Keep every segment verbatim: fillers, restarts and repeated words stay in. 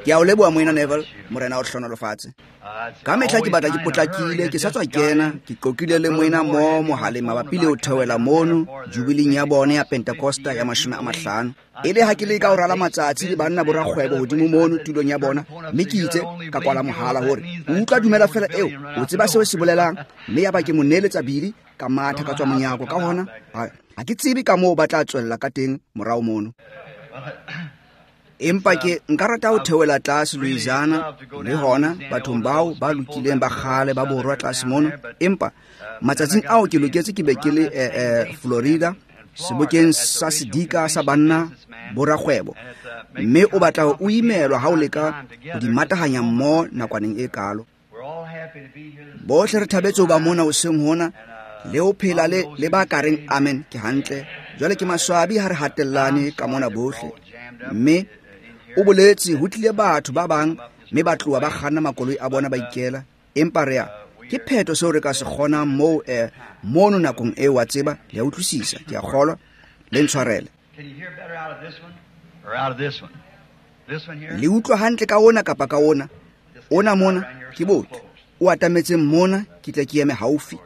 Ke a o leboha moena Neville, morena o hlohonolofatse. Ka mehla ke batla ke potlakile, ke sa tswa kena, ke qoqile le moena mo mohaleng mabapi le ho theohela mono jubiling ya bone ya Pentecosta ya mashome a mahlano. E le ha ke leka ho rala matsatsi le banna borakgwebo hodimo mono tulong ya bona, mme ke itse ka kwala mohala hore o utlwa dumela fela eo, o tseba seo se bolelang, mme ya ba ke mo neeletsa bili ka matha ka tswa monyako. Ka hona ha ke tsebe ka moo ba tla tswella ka teng morao mono. Empa ke nka rata ho theohela tlase Louisiana le hona bathong bao ba lokileng ba kgale ba borwa tlase mono. Empa matsatsing ao ke loketse ke be ke le eh, eh, Florida sebokeng sa sedika sa banna borakgwebo, mme o batla ho o imelwa ha o leka ho di matahanya mmoho nakwaneng e kalo. Bohle re thabetse ho ba mona hoseng hona le ho phela le le ba ka reng amen ke hantle. Jwale ke maswabi ha re hatellane ka mona bohle, mme o boletse ho tlile batho ba bang mme ba tloha ba kganna makoloi a bona ba ikela. Empa re a ke phetho seo re ka se kgonang moo eh, mono nakong eo, wa tseba, le a utlwisisa, ke a kgolwa, le ntshwarele. Le utlwa hantle ka ona kapa ka ona? Ona mona ke botle o atametseng mona, ke tle ke eme haufi.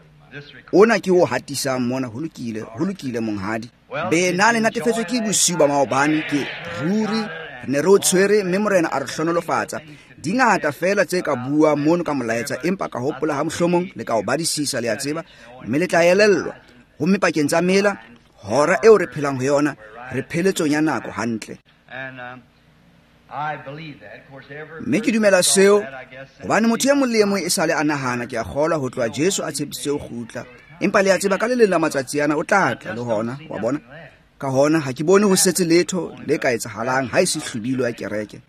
Ona ke o hatisang mona. Ho lokile, ho lokile monghadi. Be na le natefetswe ke bosiu ba maobane, ke ruri re ne re o tshwere, mme morena a re hlohonolofatsa. Di ngata fela tse ka bua mono ka molaetsa, empa ka hopola ha mohlomong le ka o badisisa, le a tseba, mme le tla elellwa. Homme pakeng tsa mela, hora eo re phelang ho yona, re pheletsong ya nako hantle. Mme ke dumela seo, hobane motho e mong le e mong e sale a nahana, ke a kgolwa, ho tloha Jesu a tshepisitse ho kgutla. Empa le a tseba ka le leng la matsatsi ana o tla tla le hona, wa bona. Ka hona ha ke bone ho setse letho le ka etsahalang ha e se hlwibilo ya kereke.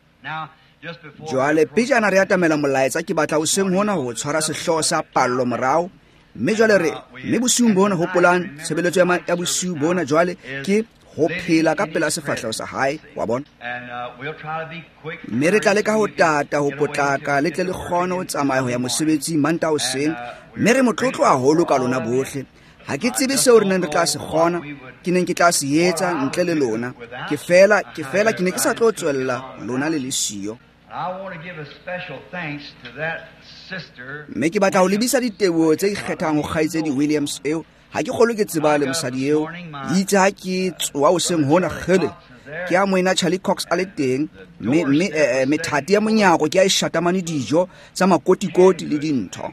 Jwale pejana re atamela molaetsa, ke batla hoseng hona ho tshwara sehlooho sa pallo morao. Mme jwale re mme bosiung bona, hopolang tshebeletso ya bosiu bona jwale ke ho phela ka pela sefahleho sa hae, wa bona. Mme re tla leka ho tata, ho potlaka, le tle le kgone ho tsamaya ho ya mosebetsing Mantaha hoseng. Mme re motlotlo haholo ka lona bohle. Ha ke tsebe seo re neng re tla se kgona, ke neng ke tla se etsa ntle le lona. Ke fela, ke fela ke ne ke sa tlo tswella lona le le siyo. Mme ke batla ho lebisa diteboho tse ikgethang ho kgaitsedi Williams eo. Ha ke kgolwe ke tseba le mosadi eo. Itse ha ke tsoha hoseng hona, kgele, ke a moena Charlie Cox a le teng, mme mme eh, methati ya monyako ke a e shatamane dijo tsa makotikoti le dintho.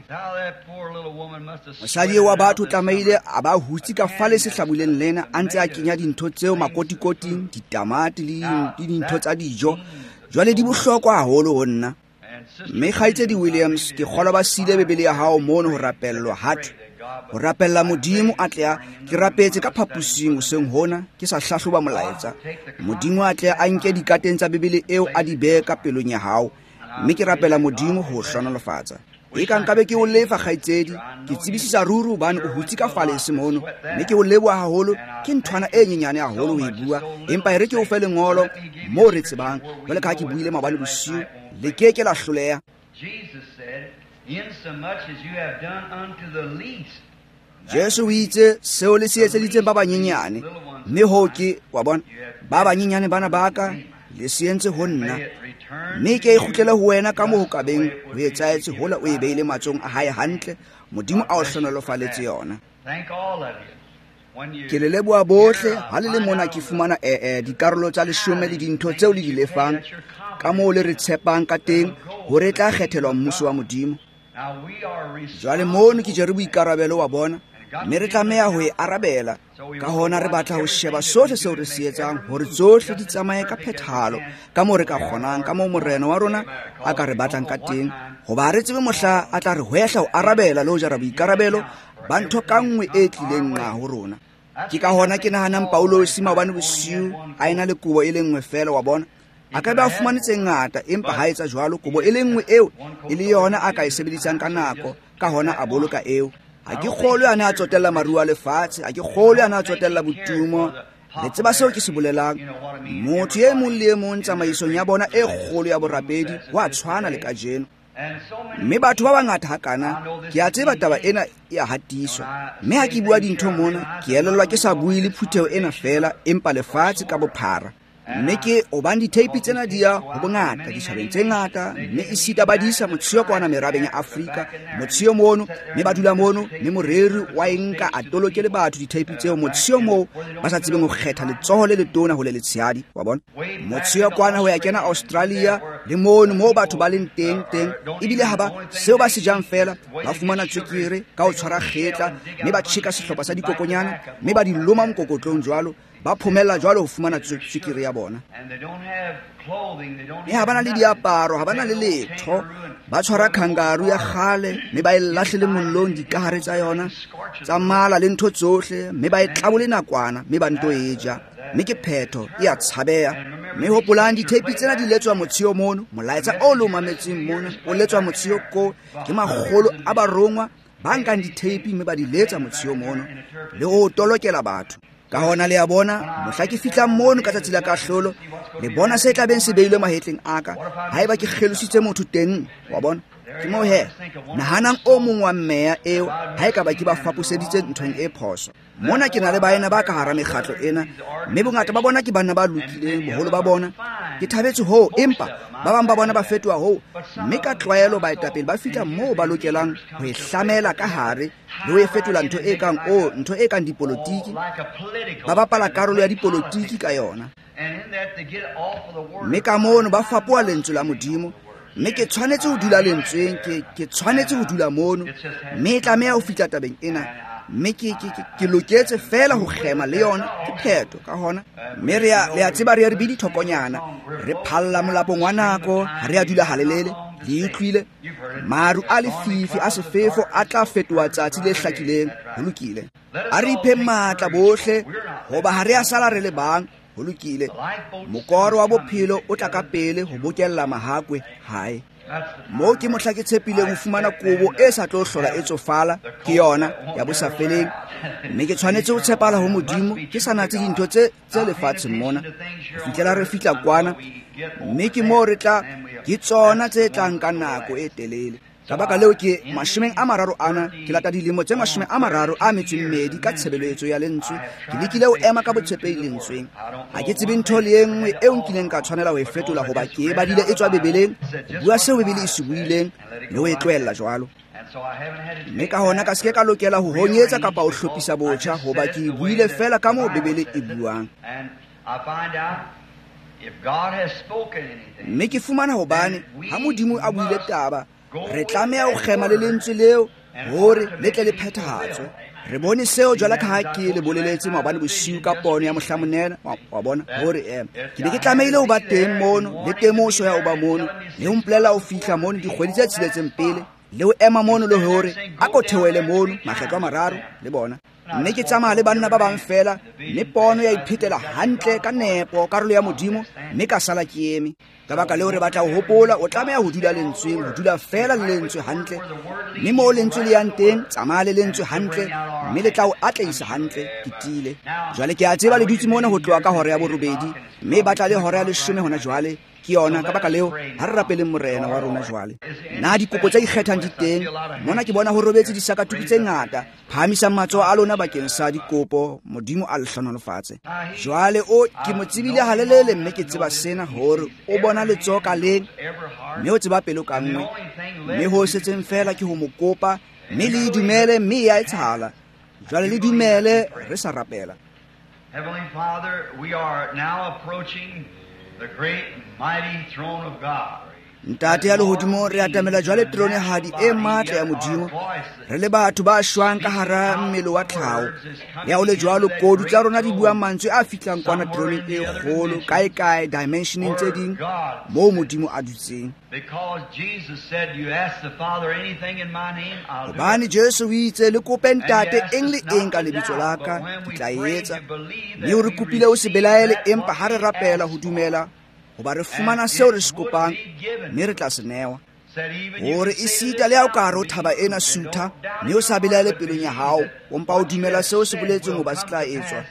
Mosadi eo wa batho o tlamehile a ba hutse ka fale sehlabuleng lena, a ntse a kenya dintho tseo makotikoting, ditamati le dintho tsa dijo. Jwale di bohlokwa haholo ho nna. Mme kgaitsedi Williams, ke kgolwa ba siile Bibele ya hao mono ho rapellwa hathwe, ho rapella Modimo a tle a ke rapetse ka phapusing hoseng hona, ke sa hlahloba molaetsa. Modimo a tle a nke dikateng tsa Bibele eo a di behe ka pelong ya hao, mme ke rapela Modimo ho hlohonolofatsa. E ka nkabe ke o lefa kgaitsedi, ke tsebisisa ruri hobane o hutse ka falese mono, mme ke o leboha haholo. Ke nthwana e nyenyane haholo ho e bua, empa e re ke o fe lengolo moo re tsebang. Jwale ka ha ke buile maobane bosiu, le ke ke la hloleha. Jesu o itse seo le se etseditseng ba banyenyane, mme hoo ke, wa bona, ba banyenyane bana ba ka, le se entse ho nna, mme ke e kgutlele ho wena ka moo ho ka beng ho etsahetse hola o e beile matsohong a hae hantle. Modimo a o hlohonolofaletse yona. Ke le leboha bohle ha le le mona. Ke fumana eh, eh, dikarolo tsa leshome le dintho tseo le di lefang, ka moo le re tshepang ka teng hore e tla kgethelwa mmuso wa Modimo. Jwale mono ke jere boikarabelo wa bona, mme re tlameha ho e arabela. Ka hona re batla ho sheba sohle seo re se etsang, hore tsohle di tsamaye ka phethahalo ka moo re ka kgonang, ka moo morena wa rona a ka re batlang ka teng. Hoba ha re tsebe mohla a tla re hwehla ho arabela le ho jara boikarabelo ba ntho ka nngwe e tlileng nqa ho rona. Ke ka hona ke nahanang Paulosi maobane bosiu a ena le kobo e le nngwe fela, wa bona. A ka be a fumane tse ngata, empa ha etsa jwalo, kobo e le nngwe eo e le yona a ka e sebedisang ka nako, ka hona a boloka eo. Ha ke kgolwe a ne a tsotella maruo a lefatshe, ha ke kgolwe a ne a tsotella botumo. Le tseba seo ke se bolelang. Motho e mong le e mong tsamaisong ya bona e kgolo ya borapedi wa tshwana le kajeno. Mme batho ba bangata hakana, ke a tseba taba ena e a hatiswa. Mme ha ke bua dintho mona, ke elellwa ke sa bue le phutheho ena feela, empa lefatshe ka bophara. Mme ke hobane ditheipi tsena di ya ho bongata ditjhabeng tse ngata, mme esita ba di isa motsheo kwana merabeng ya Afrika, motsheo mono, mme ba dula mono, mme moreri wa e nka a toloke le batho ditheipi tseo motsheo moo ba sa tsebeng ho kgetha letsoho le letona ho le letshehadi, wa bona. Motsheo kwana ho ya kena Australia le mono moo batho ba leng teng teng, ebile ha ba seo ba se jang fela, ba fumana tswekere ka ho tshwara kgetla, mme ba tjheka sehlopha sa dikokonyana, mme ba di loma mokokotlong jwalo, ba phomella jwalo ho fumana tswekere ya bona. Mme ha ba na le diaparo, ha ba na le letho, ba tshwara kangaroo ya kgale, mme ba e lahlele mollong dikahare tsa yona tsa mala le ntho tsohle, mme ba e tlabole nakwana, mme ba nto e ja, mme ke phetho e a tshabeha. Mme hopolang ditheipi tsena di letswa motsheo mono, molaetsa o lo mametseng mona o letswa motsheo ko ke makgolo a barongwa ba nkang ditheipi mme ba di letsa motsheo mono le ho tolokela batho. Ka hona le a bona, mohla ke fihlang mono ka tsatsi la kahlolo, le bona se tla beng se beilwe mahetleng a ka, haeba ke kgelositse motho teng, wa bona. Ke moo he, nahanang o mong wa meya eo, ha ekaba ke ba faposeditse nthong e phoso. Mona ke na le baena ba ka hara mekgatlo ena, mme bongata ba bona ke banna ba lokileng, boholo ba bona. Ke thabetse hoo, empa ba bang ba bona ba fetoha hoo, mme ka tlwaelo baetapele ba fihla moo ba lokelang ho e hlamela ka hare le ho e fetola ntho e kang o, ntho e kang dipolotiki. Ba bapala karolo ya dipolotiki ka yona. Mme ka mono ba fapoha lentswe la Modimo, mme ke tshwanetse ho dula lentsweng, ke ke tshwanetse ho dula mono, mme e tlameha ho fihla tabeng ena, mme ke ke ke loketse fela ho kgema le yona, ke phetho ka hona. Mme re a le a tseba re re bidi thokonyana, re phalla molapong wa nako, ha re a dula halelele, le utlwile maru a lefifi a sefefo a tla fetoha tsatsi le hlakileng, ho lokile. A re iphe matla bohle, hoba ha re a sala re le bang, ho lokile. Mokoro wa bophelo o tla ka pele ho bokella mahakwe hae. Moo ke mohla ke tshepileng ho fumana kobo e sa tlo hlola e tsofala, ke yona ya bosafeleng. Mme ke tshwanetse ho tshepala ho Modimo, ke sa natse dintho tse tse lefatsheng mona, ho fihlela re fihla kwana, mme ke moo re tla, ke tsona tse tlang ka nako e telele. Ka baka leo ke mashomeng a mararo ana, ke lata dilemo tse mashome a mararo a metso e mmedi ka tshebeletso ya lentswe. Ke lekile ho ema ka botshepehi lentsweng. Ha ke tsebe ntho le e nngwe eo nkileng ka tshwanela ho e fetola, hoba ke e badile e tswa Bibeleng, ho bua seo Bibele e se buileng le ho e tlohella jwalo. Mme ka hona ka se ke ka lokela ho honyetsa kapa ho hlophisa botjha, hoba ke e buile fela ka moo Bibele e buang. Mme ke fumana hobane ha Modimo a buile taba, re tlameha ho kgema le lentswe leo hore le tle le phethahatswe. Re bone seo jwalo ka ha ke le boleletse maobane bosiu ka pono ya mohlamonela, wa bona, hore eh ke be ke tlamehile ho ba teng mono, le temoso ya ho ba mono, le ho mpolela ho fihla mono dikgwedi tse tsheletseng pele, le ho ema mono le hore a ko theohele mono makgetlo a mararo le bona. Mme ke tsamaya le banna ba bang fela, mme pono ya iphetela hantle ka nepo karolo ya Modimo, mme ka sala ke eme. Ka baka leo re batla ho hopola, o tlameha ho dula lentsweng, ho dula fela le lentswe hantle. Mme moo lentswe le yang teng, tsamaya le lentswe hantle, mme le tla o atlehisa hantle, ke tiile. Jwale ke a tseba le dutse mona ho tloha ka hora ya borobedi, mme ba tla le hora ya leshome hona jwale. Ke yona, ka baka leo ha re rapeleng Morena wa rona jwale. Na dikopo tse ikgethang di teng? Mona ke bona ho robetse disakatuku tse ngata. Phahamisang matsoho a lona bakeng sa dikopo, Modimo a le hlohonolofatse. Jwale o ke mo tsebile halelele, mme ke tseba sena hore o bona letsoho ka leng, mme o tseba pelo ka nngwe. Mme ho setseng fela ke ho mo kopa, mme le dumele, mme e a etsahala. Jwale le dumele re sa rapela. Heavenly Father, we are now approaching the great mighty throne of God. Ntate ya lehodimo, re atamela jwale teronehadi e matla ya Modimo. Re le batho ba shwang ka hara mmele wa tlhaho. Ya ho le jwalo, kodu tsa rona di bua mantswe a fihlang kwana teroneng e kgolo, kae kae dimensioneng tse ding moo Modimo a dutseng. Hobane Jesu o itse, le kope Ntate eng le eng ka lebitso la ka, ke tla e etsa. Mme o re kopile o se belaele, empa ha re rapela ho dumela hoba re fumana seo re se kopang, mme re tla se newa. Hore esita le ha o ka hare ho thaba ena sutha, mme o sa belaele pelong ya hao, o mpa o dumela seo se boletseng hoba se tla etswa,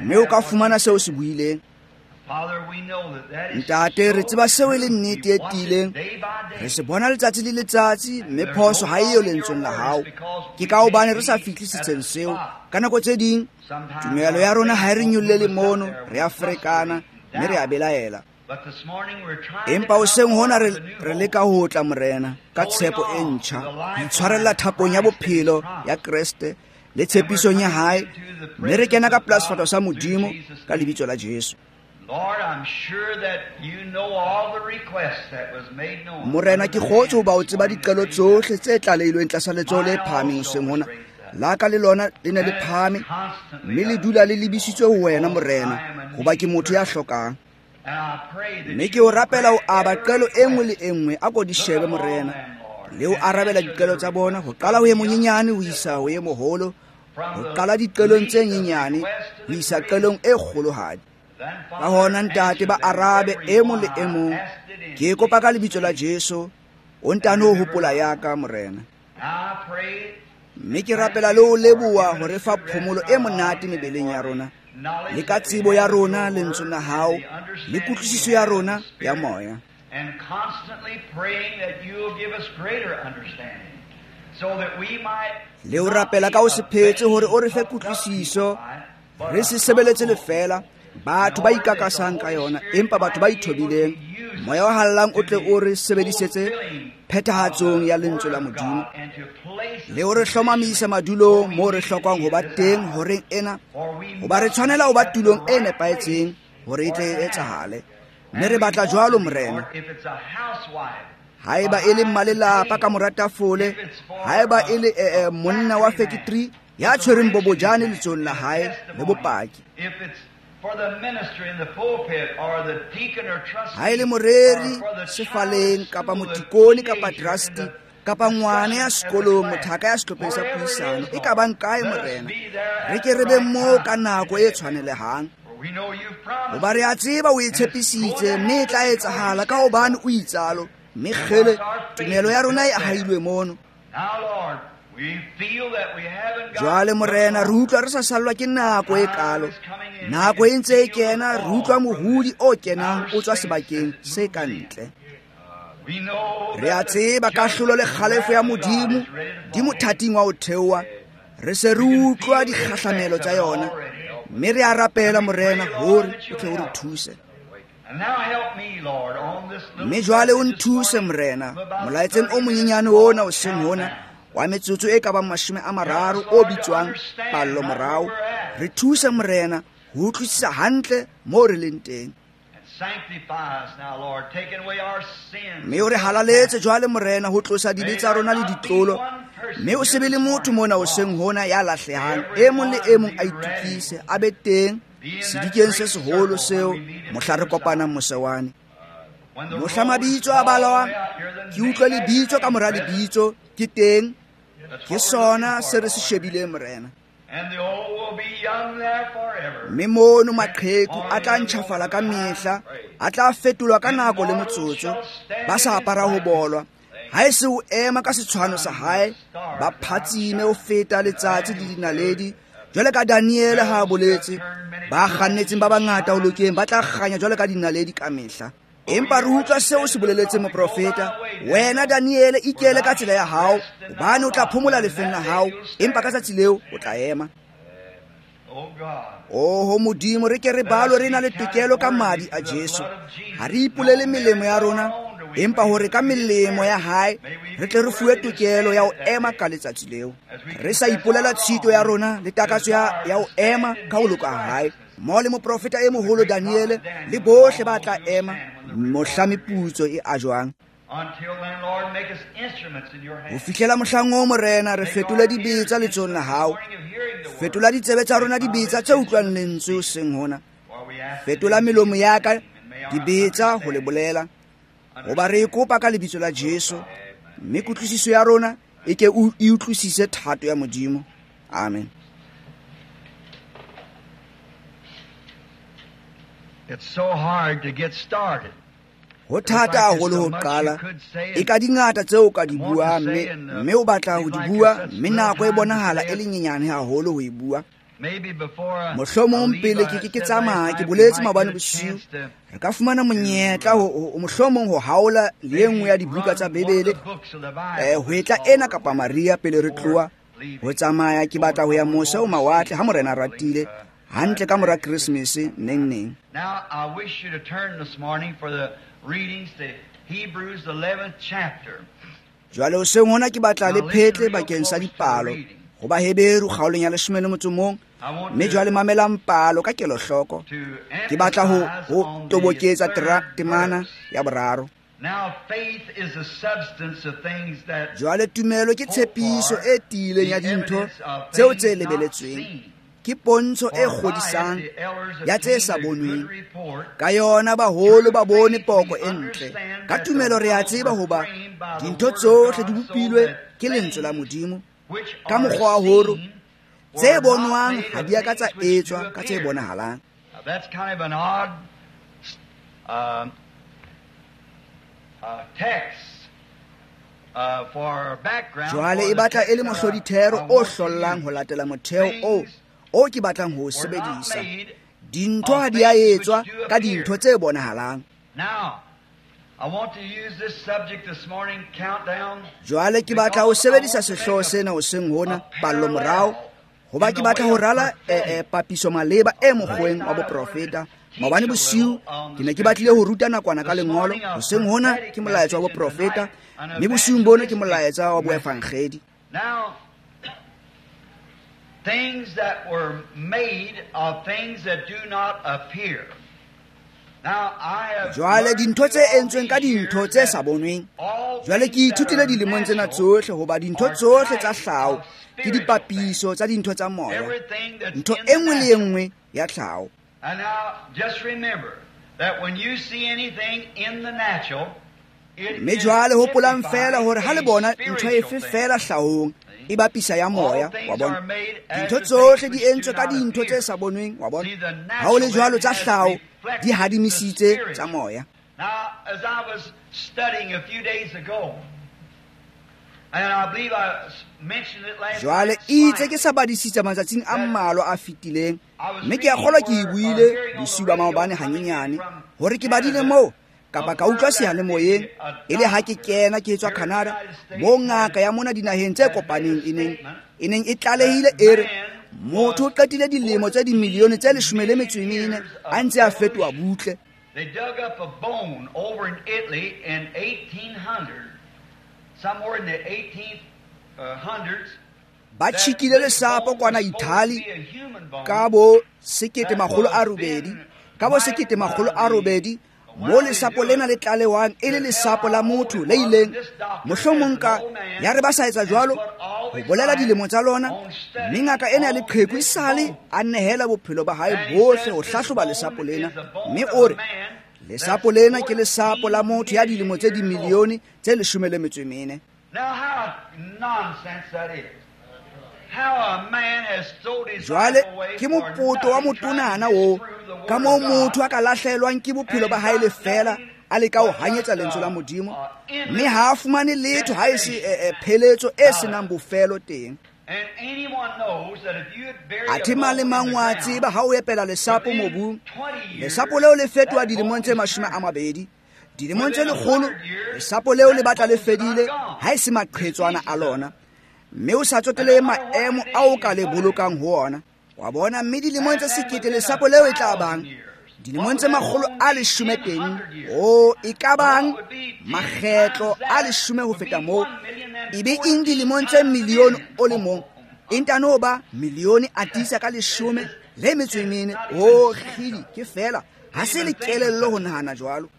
mme o ka fumana seo se buileng. Ntate, re tseba seo e le nnete e tiileng. Re se bona letsatsi le letsatsi, mme phoso ha eyo lentsweng la hao. Ke ka hobane re sa fihle setsheng seo. Ka nako tse ding, tumelo ya rona ha e re nyollele mono, re a ferekana, mme re a belaela. Empa hoseng hona re re leka ho tla Morena ka tshepo e ntjha, ho itshwarella thapong ya bophelo ya Kreste le tshepisong ya hae, mme re kena ka pela sefahleho sa Modimo ka lebitso la Jesu. Morena, ke kgotswe hoba o tseba diqelo tsohle tse tlalehilweng tlasa letsoho le phahameng hoseng hona. La ka le lona le ne le phahame, mme le dula le lebisitswe ho wena Morena, hoba ke motho ya hlokang. Mme ke o rapela ho aba qelo e nngwe le e nngwe, a ko di shebe Morena, le ho arabela diqelo tsa bona, ho qala ho e monyenyane ho isa ho e moholo, ho qala diqelong tse nyenyane ho isa qelong e kgolohadi. Ka hona Ntate, ba arabe e mong le e mong. Ke kopa ka lebitso la Jesu, o ntano ho hopola ya ka Morena. Mme ke rapela le ho leboha ho re fa phomolo e monate mebeleng ya rona, le ka tsebo ya rona lentswe la hao, le kutlwisiso ya rona ya moya. Le ho rapela ka ho se phetse hore o re fe kutlwisiso, re se sebeletse lefeela batho ba ikakasang ka yona, empa batho ba ithobileng, moya o hallang o tle o re sebedisetse phethahatsong ya lentswe la Modimo, le ho re hlomamisa madulong moo re hlokang ho ba teng horeng ena, hoba re tshwanela ho ba tulong e nepahetseng hore e tle e etsahale. Mme re batla jwalo Morena. Haeba e le mmalelapa ka mora tafole, haeba e le eh, monna wa factory ya tshwereng bobojane letsohong la hae le bopaki, ha e le moreri sefaleng kapa motikone kapa trustee kapa ngwana ya sekolong, mothaka ya sehlopheng sa puisano, e ka bang kae Morena, re ke re be moo ka nako e tshwanelehang, hoba re a tseba o e tshepisitse, mme e tla etsahala ka hobane o itsalo, mme kgele tumelo ya rona e ahailwe mono. Jwale Morena, re utlwa re sa sallwa ke nako e kalo. Nako e ntse e kena, re utlwa mohodi o kenang o tswa sebakeng se ka ntle. Re a tseba kahlolo le kgalefo ya Modimo di mothating wa ho theoha. Re se re utlwa dikgahlamelo tsa yona, mme re a rapela Morena hore o tle o re thuse. Mme jwale o nthuse Morena molaetseng o monyenyane ona hoseng hona wa metsotso e ka bang mashome a mararo o bitswang pallo morao. Re thuse Morena ho utlwisisa hantle moo re leng teng. Mme o re halaletse jwale Morena ho tlosa dibe tsa rona le ditlolo, mme o se be le motho mona hoseng hona ya lahlehang. E mong le e mong a itukise, a be teng sedikeng se seholo seo mohla re kopanang mose wane. Mohla mabitso a balwang, ke utlwe lebitso ka mora lebitso, ke teng. Ke sona se re se shebileng Morena. Mme mono maqheku a tla ntjhafala ka mehla, a tla fetolwa ka nako le motsotso, ba sa apara ho bolwa. Ha e se o ema ka setshwano sa hae, ba phatsime ho feta letsatsi le dinaledi, jwale ka Daniele ha a boletse, ba kgannetseng ba bangata ho lokeng ba tla kganya jwale ka dinaledi ka mehla. Empa re utlwa seo se boleletseng moprofeta, wena Daniele ikele ka tsela ya hao, hobane o tla phomola lefeng la hao, empa ka tsatsi leo o tla ema. Oho Modimo, re ke re balwe re na le tokelo ka madi a Jesu. Ha re ipolele melemo ya rona, empa hore ka melemo ya hae re tle re fuwe tokelo ya ho ema ka letsatsi leo. Re sa ipolela tshito ya rona le takatso ya, ya ho ema ka ho loka ha hae. Mmoho le moprofeta e moholo Daniele le bohle ba tla ema mohla meputso e ajwang. Ho fihlela mohlang oo Morena, re fetole dibetsa letsohong la hao. Fetola ditsebe tsa rona dibetsa tse utlwang lentswe hoseng hona. Fetola melomo ya ka dibetsa ho le bolela, hoba re e kopa ka lebitso la Jesu, mme kutlwisiso ya rona e ke e utlwisise thato ya Modimo. Amen. It's so hard to get started. Ho thata haholo ho qala. E ka dingata tseo o ka di buang, mme mme o batla ho di bua, mme nako e bonahala e le nyenyane haholo ho e bua. Mohlomong pele ke ke ke tsamaya, ke boletse maobane bosiu, re ka fumana monyetla ho mohlomong ho haola le e nngwe ya dibuka tsa Bibele, eh ho etla ena kapa Maria pele re tloha ho tsamaya. Ke batla ho ya mose ho mawatle ha Morena a ratile, Hantle ka mora Christmas neng neng. Now I wish you to turn this morning for the readings to Hebrews eleventh chapter. Jwale hoseng hona ke batla le phetle bakeng sa dipalo ho Baheberu kgaolong ya leshome le motso mong, mme jwale mamelang palo ka kelohloko. Ke batla ho ho toboketsa temana ya boraro. Now faith is the substance of things that Jwale tumelo ke tshepiso e tiileng ya dintho tseo tse lebeletsweng. Ke pontsho e kgodisang ya tse sa bonweng. Ka yona baholo ba bone poko e ntle. Ka tumelo re a tseba hoba dintho tsohle di bopilwe ke lentswe la Modimo. Ka mokgwa wa hore tse bonwang ha di a ka tsa etswa ka tse bonahalang. That's kind of an odd uh, uh, text uh, for background. Jwale e batla e le mohlodithero o hlollang ho latela motheo o o ke batlang ho sebedisa. Dintho ha di a etswa ka dintho tse bonahalang. Now I want to use this subject this morning, countdown. Jwale ke batla ho sebedisa sehlooho sena hoseng hona, pallo morao, hoba ke batla ho rala eh, papiso maleba e mokgweng wa boprofeta. Maobane bosiu ke ne ke batlile ho ruta nakwana ka lengolo, hoseng hona ke molaetsa wa boprofeta, mme bosiung bona ke molaetsa wa boevangedi. Now things that were made of things that do not appear. Now I have Jwale dintho tse entsweng ka dintho tse sa bonweng. Jwale ke ithutile dilemong tsena tsohle hoba dintho tsohle tsa tlhaho ke dipapiso tsa dintho tsa moya. Ntho e nngwe le e nngwe ya tlhaho. And now just remember that when you see anything in the natural, Mme jwale hopolang fela hore ha le bona ntho efe fela hlahong e bapisa ya moya, wa bona. Dintho tsohle di entswe ka dintho tse sa bonweng, wa bona. Ha ho le jwalo tsa hlaho di hadimisitse tsa moya. Now as I was studying a few days ago, and I believe I mentioned it last Jwale itse ke sa badisitse matsatsing a mmalwa a fetileng, mme ke a kgolwa ke e buile bosiu ba maobane hanyenyane hore ke badile moo kapa ka utlwa seyalemoyeng e le ha ke kena ke tswa Canada, moo ngaka ya mona dinaheng tse kopaneng e neng e neng e tlalehile e re motho o qetile dilemo tse dimilione tse leshome le metso e mene a ntse a fetoha butle. They dug up a bone over in Italy in eighteen hundred, somewhere in the eighteen hundreds. Ba tjhikile lesapo kwana Italy ka bo sekete makgolo a robedi, ka bo sekete makgolo a robedi, mo lesapo lena le tlalewang e le lesapo la motho le ileng mohlomong ka ya re ba sa etsa jwalo ho bolela dilemo tsa lona, mme ngaka ena ya leqheku esale a nehela bophelo ba hae bohle ho hlahloba lesapo lena, mme o re lesapo lena ke lesapo la motho ya dilemo tse dimilione tse leshome le metso e mene. Now how nonsense that is. How a man has sold his Jwale ke mopoto wa motonana o ka moo motho a ka lahlelwang ke bophelo ba hae lefela a leka ho hanyetsa lentswe la Modimo, mme ha a fumane letho ha e se pheletso e senang bofelo teng. And anyone knows that if you had buried Athe mang le mang wa tseba ha o epela lesapo mobung, lesapo leo le fetoha dilemong tse mashome a mabedi. Dilemong tse lekgolo lesapo leo le batla le fedile ha e se maqhetswana a lona, mme o sa tsotele maemo ao ka le bolokang ho ona. Wa bona, mme dilemong tse sekete lesapo leo e tla bang dilemong tse makgolo a leshome teng, o e ka bang makgetlo a leshome ho feta moo, e be eng dilemong tse milione o le mong, e ntano ba milione a tiisa ka leshome le metso e mene. O kgidi ke fela ha se le kelello ho nahana jwalo.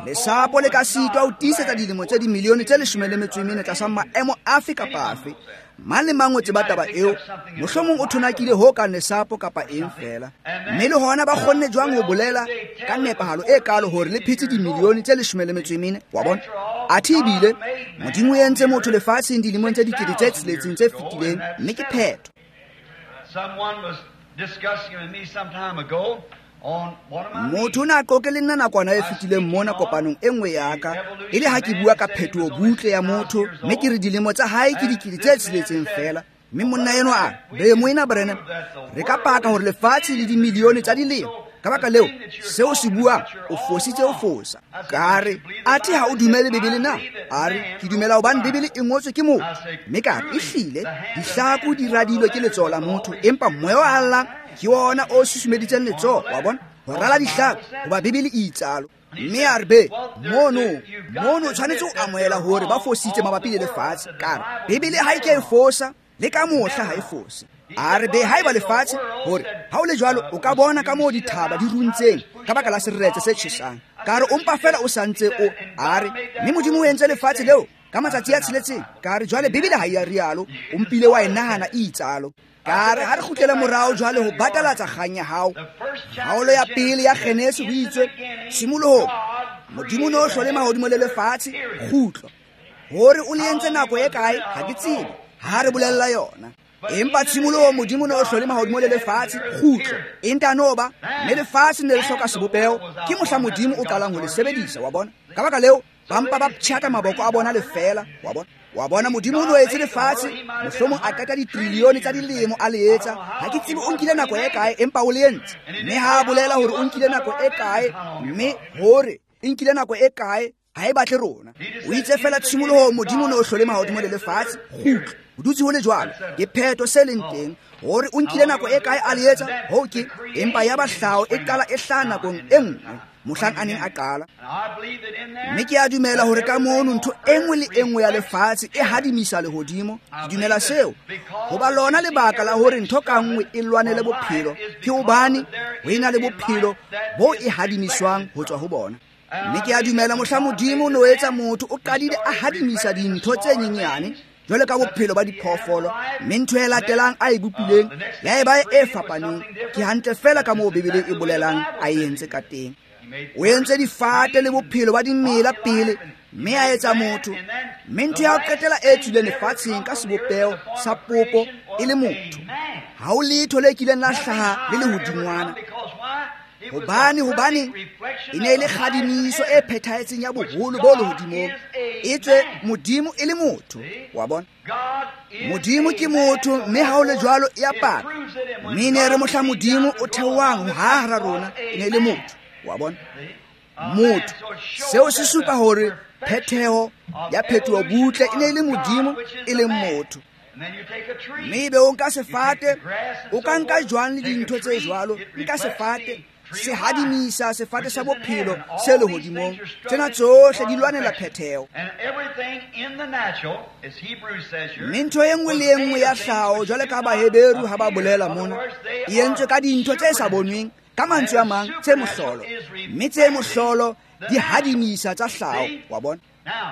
Lesapo le ka sitwa ho tiisetsa dilemo tse dimilione tse leshome le metso e mene tlasa maemo afe kapa afe. Mang le mang o tseba taba eo, mohlomong o thonakile ho kang lesapo kapa eng fela. Mme le hona ba kgonne jwang ho bolela ka nepahalo e kalo hore le phetse dimilione tse leshome le metso e mene, wa bona. Athe ebile Modimo o entse motho lefatsheng dilemong tse dikete tse tsheletseng tse fetileng, mme ke phetho. Someone was discussing with me some time ago Motho o ne a qoqe le nna nakwana e fetileng mona kopanong e nngwe ya ka, e le ha ke bua ka phetoho butle ya motho, mme ke re dilemo tsa hae ke dikete tse tsheletseng fela. Mme monna enwa a re, be moena Branham, re ka paka hore lefatshe le dimilione tsa dilemo. Ka baka leo, seo se buang, o fositse o fosa. Ka re, athe ha o dumele Bibele na? A re, ke dumela hobane Bibele e ngotswe ke motho. Mme ka re, ehlile, dihlaku di radilwe ke letsoho la motho, empa moya wa Allah Ke wona o susumeditseng letsoho, wa bona, ho rala ditlhako, hoba Bibele e itsalo. Mme a re be mono mono tshwanetse o amohela hore ba fositse mabapi le lefatshe. Ka re Bibele ha e ke e fosa le ka mohla ha e fose. A re be haeba lefatshe hore ha o le jwalo o ka bona ka moo dithaba di runtseng ka baka la seretse se tjhesang. Ka re o mpa fela o santse o a re mme Modimo o entse lefatshe leo ka matsatsi a tsheletseng. Ka re jwale Bibele ha e a rialo, o mpile wa e nahana e itsalo. Ka re ha re kgutlele morao jwale ho batalatsa kgang ya hao. Kgaolo ya pele ya Genesi ho itswe tshimolohong Modimo no hlole mahodimo le lefatshe kgutlo. Hore o le entse nako e kae ha ke tsebe, ha re bolella yona. Empa tshimolohong Modimo no hlole mahodimo le lefatshe kgutlo. E ntano ba mme lefatshe ne le hloka sebopeho, ke mohla Modimo o qalang ho le sebedisa, wa bona. Ka baka leo ba mpa ba ptjhaka maboko a bona lefela, wa bona. Wa bona Modimo o no etse lefatshe, mohlomong a qeta ditrilione tsa dilemo a le etsa. Ha ke tsebe o nkile nako e kae, empa o le entse. Mme ha a bolela hore o nkile nako e kae, mme hore e nkile nako e kae ha e batle rona. O itse fela tshimolohong Modimo no hlole mahodimo le lefatshe kgutlo. O dutse ho le jwalo, ke phetho se leng teng hore o nkile nako e kae a le etsa ho ke, empa ya ba hlaho e qala e hlaha nakong e nngwe mohlang a neng a qala. Mme ke a dumela hore ka mono ntho e nngwe le e nngwe ya lefatshe e hadimisa lehodimo. Ke dumela seo hoba lona lebaka la hore ntho ka nngwe e lwanele bophelo ke hobane ho ena le bophelo bo e hadimiswang ho tswa ho bona. Mme ke a dumela mohla Modimo no etsa motho o qadile a hadimisa dintho tse nyenyane jwale ka bophelo ba diphoofolo, mme ntho e latelang a e bopileng ya eba e fapaneng. Ke hantle fela ka moo Bibele e bolelang a e entse ka teng. O entse difate le bophelo ba dimela pele, mme a etsa motho. Mme ntho ya ho qetela e tswileng lefatsheng ka sebopeho sa popo e le motho. Ha ho letho le kileng la hlaha le lehodingwana. Hobane hobane e ne e le kgadimiso e phethahetseng ya boholo bo lehodimong, etswe Modimo e le motho, wa bona. Modimo ke motho, mme ha o le jwalo e a paka. Mme ne re mohla Modimo o theohang ho hara rona e ne e le motho, wa bona. Motho seo se supa hore phetheho ya phetoho butle e ne e le Modimo e leng motho. Mme ebe o nka sefate, o ka nka jwang le dintho tse jwalo, nka sefate se hadimisa sefate sa bophelo se lehodimong. Tsena tsohle di lwanela phetheho. Mme ntho e nngwe le e nngwe ya hlaho jwale ka Baheberu ha ba bolela mona, e entswe ka dintho tse sa bonweng, ka mantswe a mang tse mohlolo. Mme tse mohlolo di hadimisa tsa hlaho, wa bona.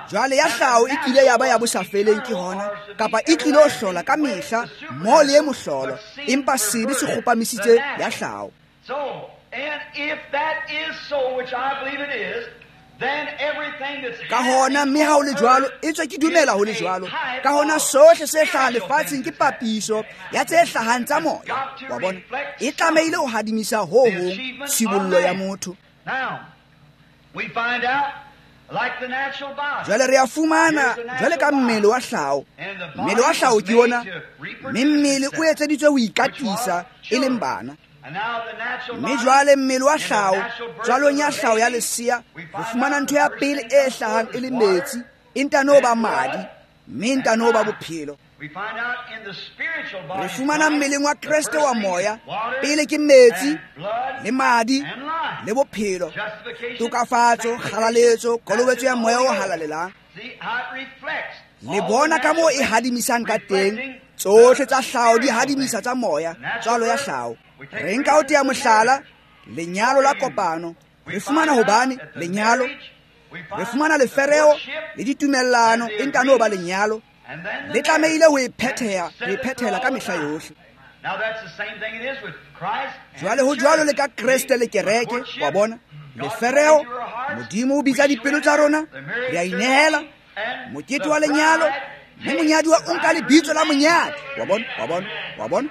Jwale ya hlaho e kile ya ba ya bosafeleng ke hona, kapa e tlilo hlola ka mehla mo le e mohlolo, empa sebe se kgopamisitse ya hlaho. Ka hona mme ha ho le jwalo, etswe ke dumela ho le jwalo, ka hona sohle se hlahang lefatsheng ke papiso ya tse hlahang tsa moya, wa bona. E tlamehile ho hadimisa ho hong tshibollo ya motho. Jwale re a fumana jwale ka mmele wa hlaho. Mmele wa hlaho ke ona, mme mmele o etseditswe ho ikatisa e leng bana. Mme jwale mmele wa hlaho, tswalong ya hlaho ya lesea, re fumana ntho ya pele e hlahang e le metsi, e ntano ba madi, mme ntano ba bophelo. Re fumana mmeleng wa Kreste wa moya, pele ke metsi le madi le bophelo, tokafatso, kgalaletso, kolobetso ya moya o halalelang. Le bona ka moo e hadimisang ka teng, tsohle tsa hlaho di hadimisa tsa moya, tswalo ya hlaho. Re nka ho tea mohlala lenyalo la kopano. Re fumana hobane lenyalo, re fumana lefereo le ditumellano e ntano ba lenyalo le tlamehile ho e phetheha, ho e phethela ka mehla yohle. Jwale ho jwalo le ka Kreste le kereke, wa bona. Lefereo, Modimo o bitsa dipelo tsa rona, re a inehela. Mokete wa lenyalo, mme monyaduwa o nka lebitso la monyadi, wa bona, wa bona, wa bona.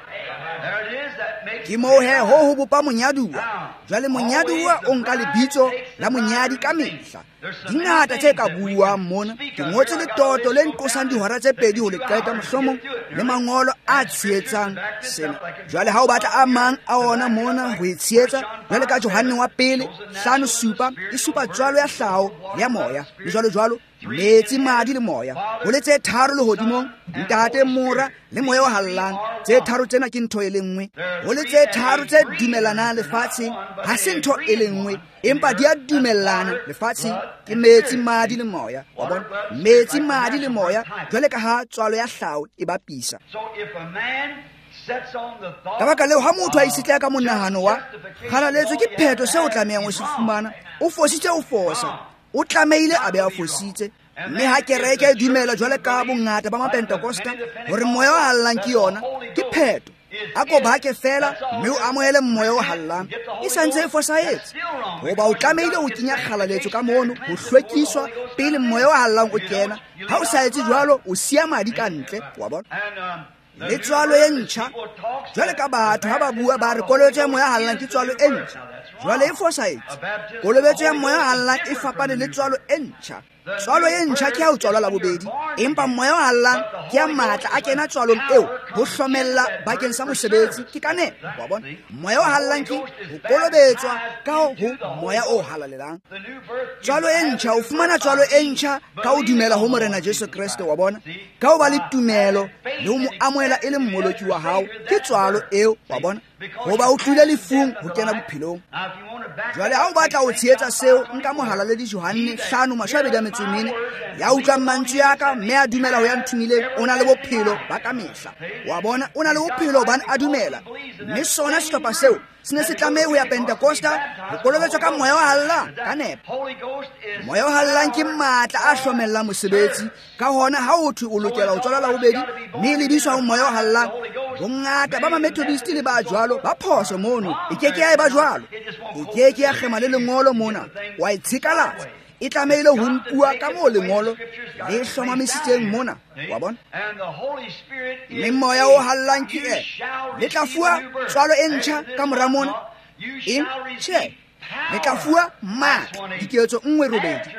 Ke moo he ho ho bopa monyaduwa. Jwale monyaduwa o nka lebitso la monyadi ka mehla. Di ngata tse ka buuwang mona. Ke ngotse letoto le nqosang dihora tse pedi ho le qeta, mohlomong le mangolo a tshehetsang sena. Jwale ha o batla a mang a ona mona ho e tshehetsa, jwale ka Johanne wa pele hlano supa, e supa tswalo ya hlaho le ya moya, le jwalo jwalo, metsi, madi le moya. Ho le tse tharo lehodimong, Ntate, Mora le moya o hallang. Tse tharo tsena ke ntho e le nngwe. Ho le tse tharo tse dumelanang lefatsheng, ha se ntho e le nngwe, empa di a dumellana lefatsheng. Ke metsi, madi le moya. Wa bona? Metsi, madi le moya, jwale ka ha tswalo ya hlao e bapisa. Ka baka leo, ha motho a itshetleha ka monahano wa kgalaletswe ke phetho seo o tlamehang ho se fumana, o fositse, o fosa, o tlamehile a be a fositse. Mme ha kereke e dumela jwale ka bongata ba Mapentekosta hore moya o hallang ke yona, ke phetho. A ko bake fela mme o amohele moya o hallang, e santse e fosahetse. Hoba o tlamehile ho kenya kgalaletso ka mono, ho hlwekiswa pele moya o hallang o kena. Ha o sa etse jwalo, o siya madi ka ntle. Wa bona? Le tswalo e ntjha, jwale ka batho ha ba bua ba re kolobetso ya moya hallang ke tswalo e ntjha, jwale e fosahetse. Kolobetso ya moya hallang e fapane le tswalo e ntjha. Tswalo e ntjha ke ha o tswalwa la bobedi, empa moya o hallang ke ya matla a kena tswalong eo ho hlomella bakeng sa mosebetsi. Ke ka nepo. Wa bona? Moya o hallang ke ho kolobetswa ka ho moya o halalelang. Tswalo e ntjha, o fumana tswalo e ntjha ka ho dumela ho Morena Jesu Kreste. Wa bona? Ka ho ba le tumelo le ho mo amohela e le mmoloki wa hao, ke tswalo eo. Wa bona? Hoba o tlile lefung ho kena bophelong. Jwale ha o batla ho tshehetsa seo, nka mohalaledi Johanne hlano mashome a mabedi a metso e mene, ya utlwang mantswe a ka mme a dumela ho ya nthomileng, o na le bophelo ba ka mehla. Wa bona? O na le bophelo hobane a dumela. Mme sona sehlopha seo se ne se tlameha ho ya Pentekosta ho kolobetswa ka moya o hallang ka nepo. Moya o hallang ke matla a hlomellang mosebetsi. Ka hona ha o thwe o lokela ho tswalwa la bobedi mme e lebiswa ho moya o hallang, bongata ba Mamethodist le ba jwalo ba phoso mono. E ke ke ya eba jwalo, e ke ke ya kgema le lengolo mona, wa e tshekalatsa. E tlamehile ho nkuwa ka moo lengolo le hlomamisitseng mona. Wa bona? Mme moya o hallang ke e le tla fuwa tswalo e ntjha ka mora mona. Eng? Tjhe, le tla fuwa matla, diketso nngwe robedi,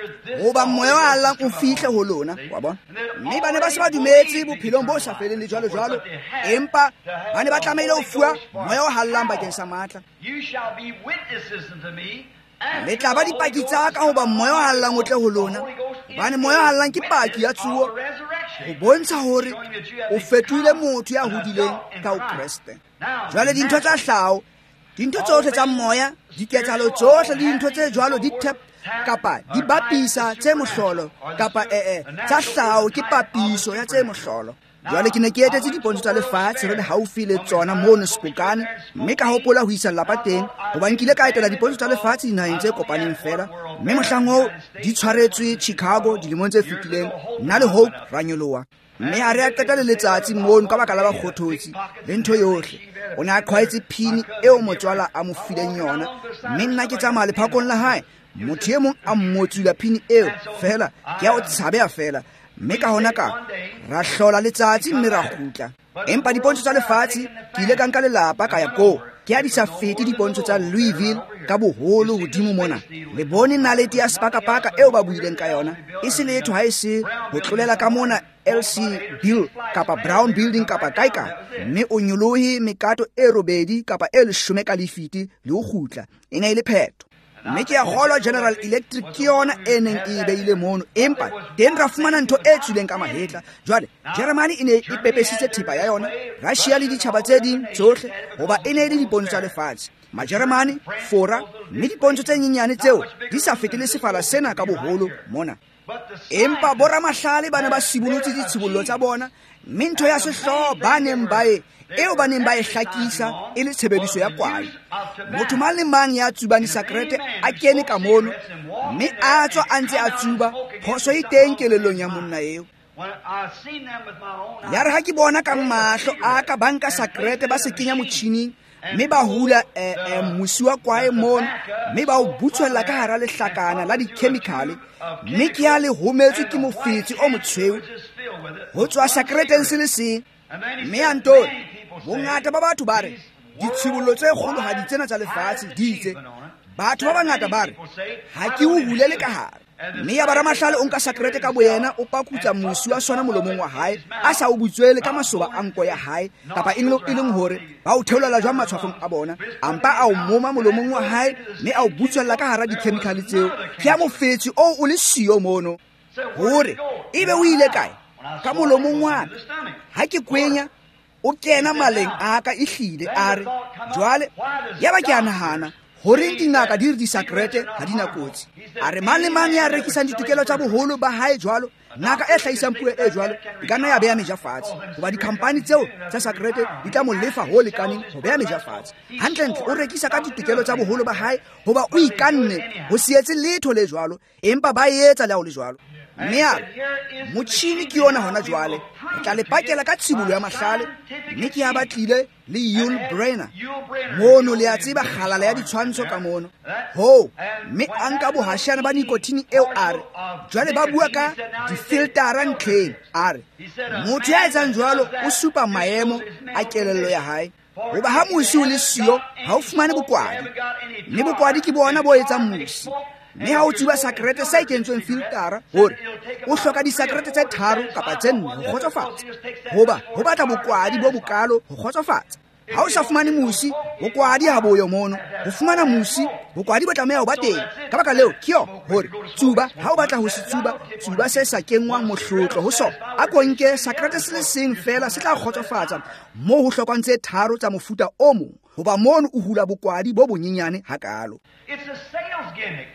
hoba moya o hallang o fihle ho lona. Wa bona? Mme ba ne ba se ba dumetse bophelong bo sa feleng le jwalo jwalo, empa ba ne ba tlamehile ho fuwa moya o hallang bakeng sa matla. Le tla ba dipaki tsa ka hoba moya o hallang o tle ho lona, hobane moya o hallang ke paki ya tsuo, ho bontsha hore o fetohile motho ya hodileng ka ho Kreste. Jwale dintho tsa hlao, dintho tsohle tsa moya, diketsahalo tsohle le dintho tse jwalo di tap kapa di bapisa tse mohlolo, kapa ee tsa hlao ke papiso ya tse mohlolo. Jwale ke ne ke etetse dipontsho tsa lefatshe re le haufi le tsona mono Spokane, mme ka hopola ho isa lelapa teng, hoba nkile ka etela dipontsho tsa lefatshe dinaheng tse kopaneng fela. Mme mohlang oo di tshwaretswe Chicago dilemong tse fetileng, nna le Hope ra nyoloha. Mme ha re a qeta le letsatsi mono ka baka la bakgothotsi le ntho yohle. O ne a qhwaetse phini eo motswala a mo fileng yona, mme nna ke tsamaya lephakong la hae, motho e mong a mmotsula phini eo fela, ke ya o tshabeha fela. Mme ka hona ka ra hlola letsatsi mme ra kgutla. Empa dipontsho tsa lefatshe ke ile ka nka lelapa ka ya koo. Ke ha di sa fete dipontsho tsa Louisville ka boholo hodimo mona. Le bone nalete ya sepakapaka eo ba buileng ka yona, e se letho ha e se ho tlolela ka mona L C Bill kapa Brown Building kapa kae kae, mme o nyolohe mekato e robedi kapa e leshome ka lefiti le ho kgutla. E ne e le phetho. Mme ke a kgolwa General Electric ke yona e neng e beile mono, empa teng ra fumana ntho e tswileng ka mahetla. Jwale Germany e ne e pepesitse thepa ya yona, Russia le ditjhaba tse ding tsohle, hoba e ne e le dipontsho tsa lefatshe. Majeremane, Fora, mme dipontsho tse nyenyane tseo di sa fete le sefala sena ka boholo mona. Empa boramahlale ba ne ba sibolotse ditshibollo tsa bona, mme ntho ya sehlooho ba neng ba e eo ba neng ba e hlakisa e le tshebediso ya kwae. Motho mang le mang ya tsubang disakrete a kene ka mono, mme a tswa a ntse a tsuba, phoso e teng kelellong ya monna eo. Ya re ha ke bona ka mahlo a ka ba nka sakrete ba se kenya motjhining, mme ba hula eh, eh, mosi wa kwae mono, mme ba o butswella ka hara lehlakana la dikhemikhale, mme ke ya le hometswe ke mofetsi o motshweu ho tswa sakreteng se le seng. Mme a ntore bongata ba batho ba re ditshibollo tse kgolohadi tsena tsa lefatshe di itse. Batho ba bangata ba re ha ke o hulele ka hare. Mme ya baramahlale o nka sakrete ka boyena, o pakutsa mosi wa sona molomong wa hae, a sa o butswele ka masoba a nko ya hae, kapa e leng hore ba o theolela jwang matshwafong a bona, a mpa a o moma molomong wa hae, mme a o butswella ka hara dikhemikhale tseo. Ke ya mofetsi oo o le siyo mono, hore ebe o ile kae? Ka molomong wa ka. Ha ke kwenya, O kena maleng a ka ehlile a re jwale yaba ke a nahana horeng dingaka di re disakrete ha di na kotsi. A re mang le mang ya rekisang ditokelo tsa boholo ba hae jwalo, ngaka e hlahisang puo e jwalo e ka nna ya beya meja fatshe, hoba dikhampani tseo tsa sakrete di tla mo lefa ho lekaneng ho beya meja fatshe. Hantlentle o rekisa ka ditokelo tsa boholo ba hae hoba o ikanne ho se etse letho le jwalo, empa ba etsa le ha ho le jwalo. Mme a re motjhini ke yona hona jwale, re tla le pakela ka tshibollo ya mahlale. Mme ke ya batlile le Yul Brynner mono, le a tseba kgalala ya ditshwantsho ka mono ho, mme a nka bohashana ba nikotine eo. A re jwale ba bua ka difiltara ntlheng. A re motho ya etsang jwalo o supa maemo a kelello ya hae, hoba ha mosi o le siyo ha o fumane bokwadi, mme bokwadi ke bona bo etsang mosi. Mme ha o tsuba sakrete se kentsweng filtara, hore o hloka disakrete tse tharo kapa tse nne ho kgotsofatsa, hoba ho batla bokwadi bo bokalo ho kgotsofatsa. Ha o sa fumane mosi, bokwadi ha boyo mono. Ho fumana mosi, bokwadi bo tlameha ho ba teng. Ka baka leo ke yo hore tsuba, ha o batla ho se tsuba, tsuba se sa kenngwang mohlotlo ho sona. A ko nke sakrete se le seng feela se tla kgotsofatsa moo ho hlokwang tse tharo tsa mofuta o mong, hoba mono o hula bokwadi bo bonyenyane hakalo. It's a sales gimmick.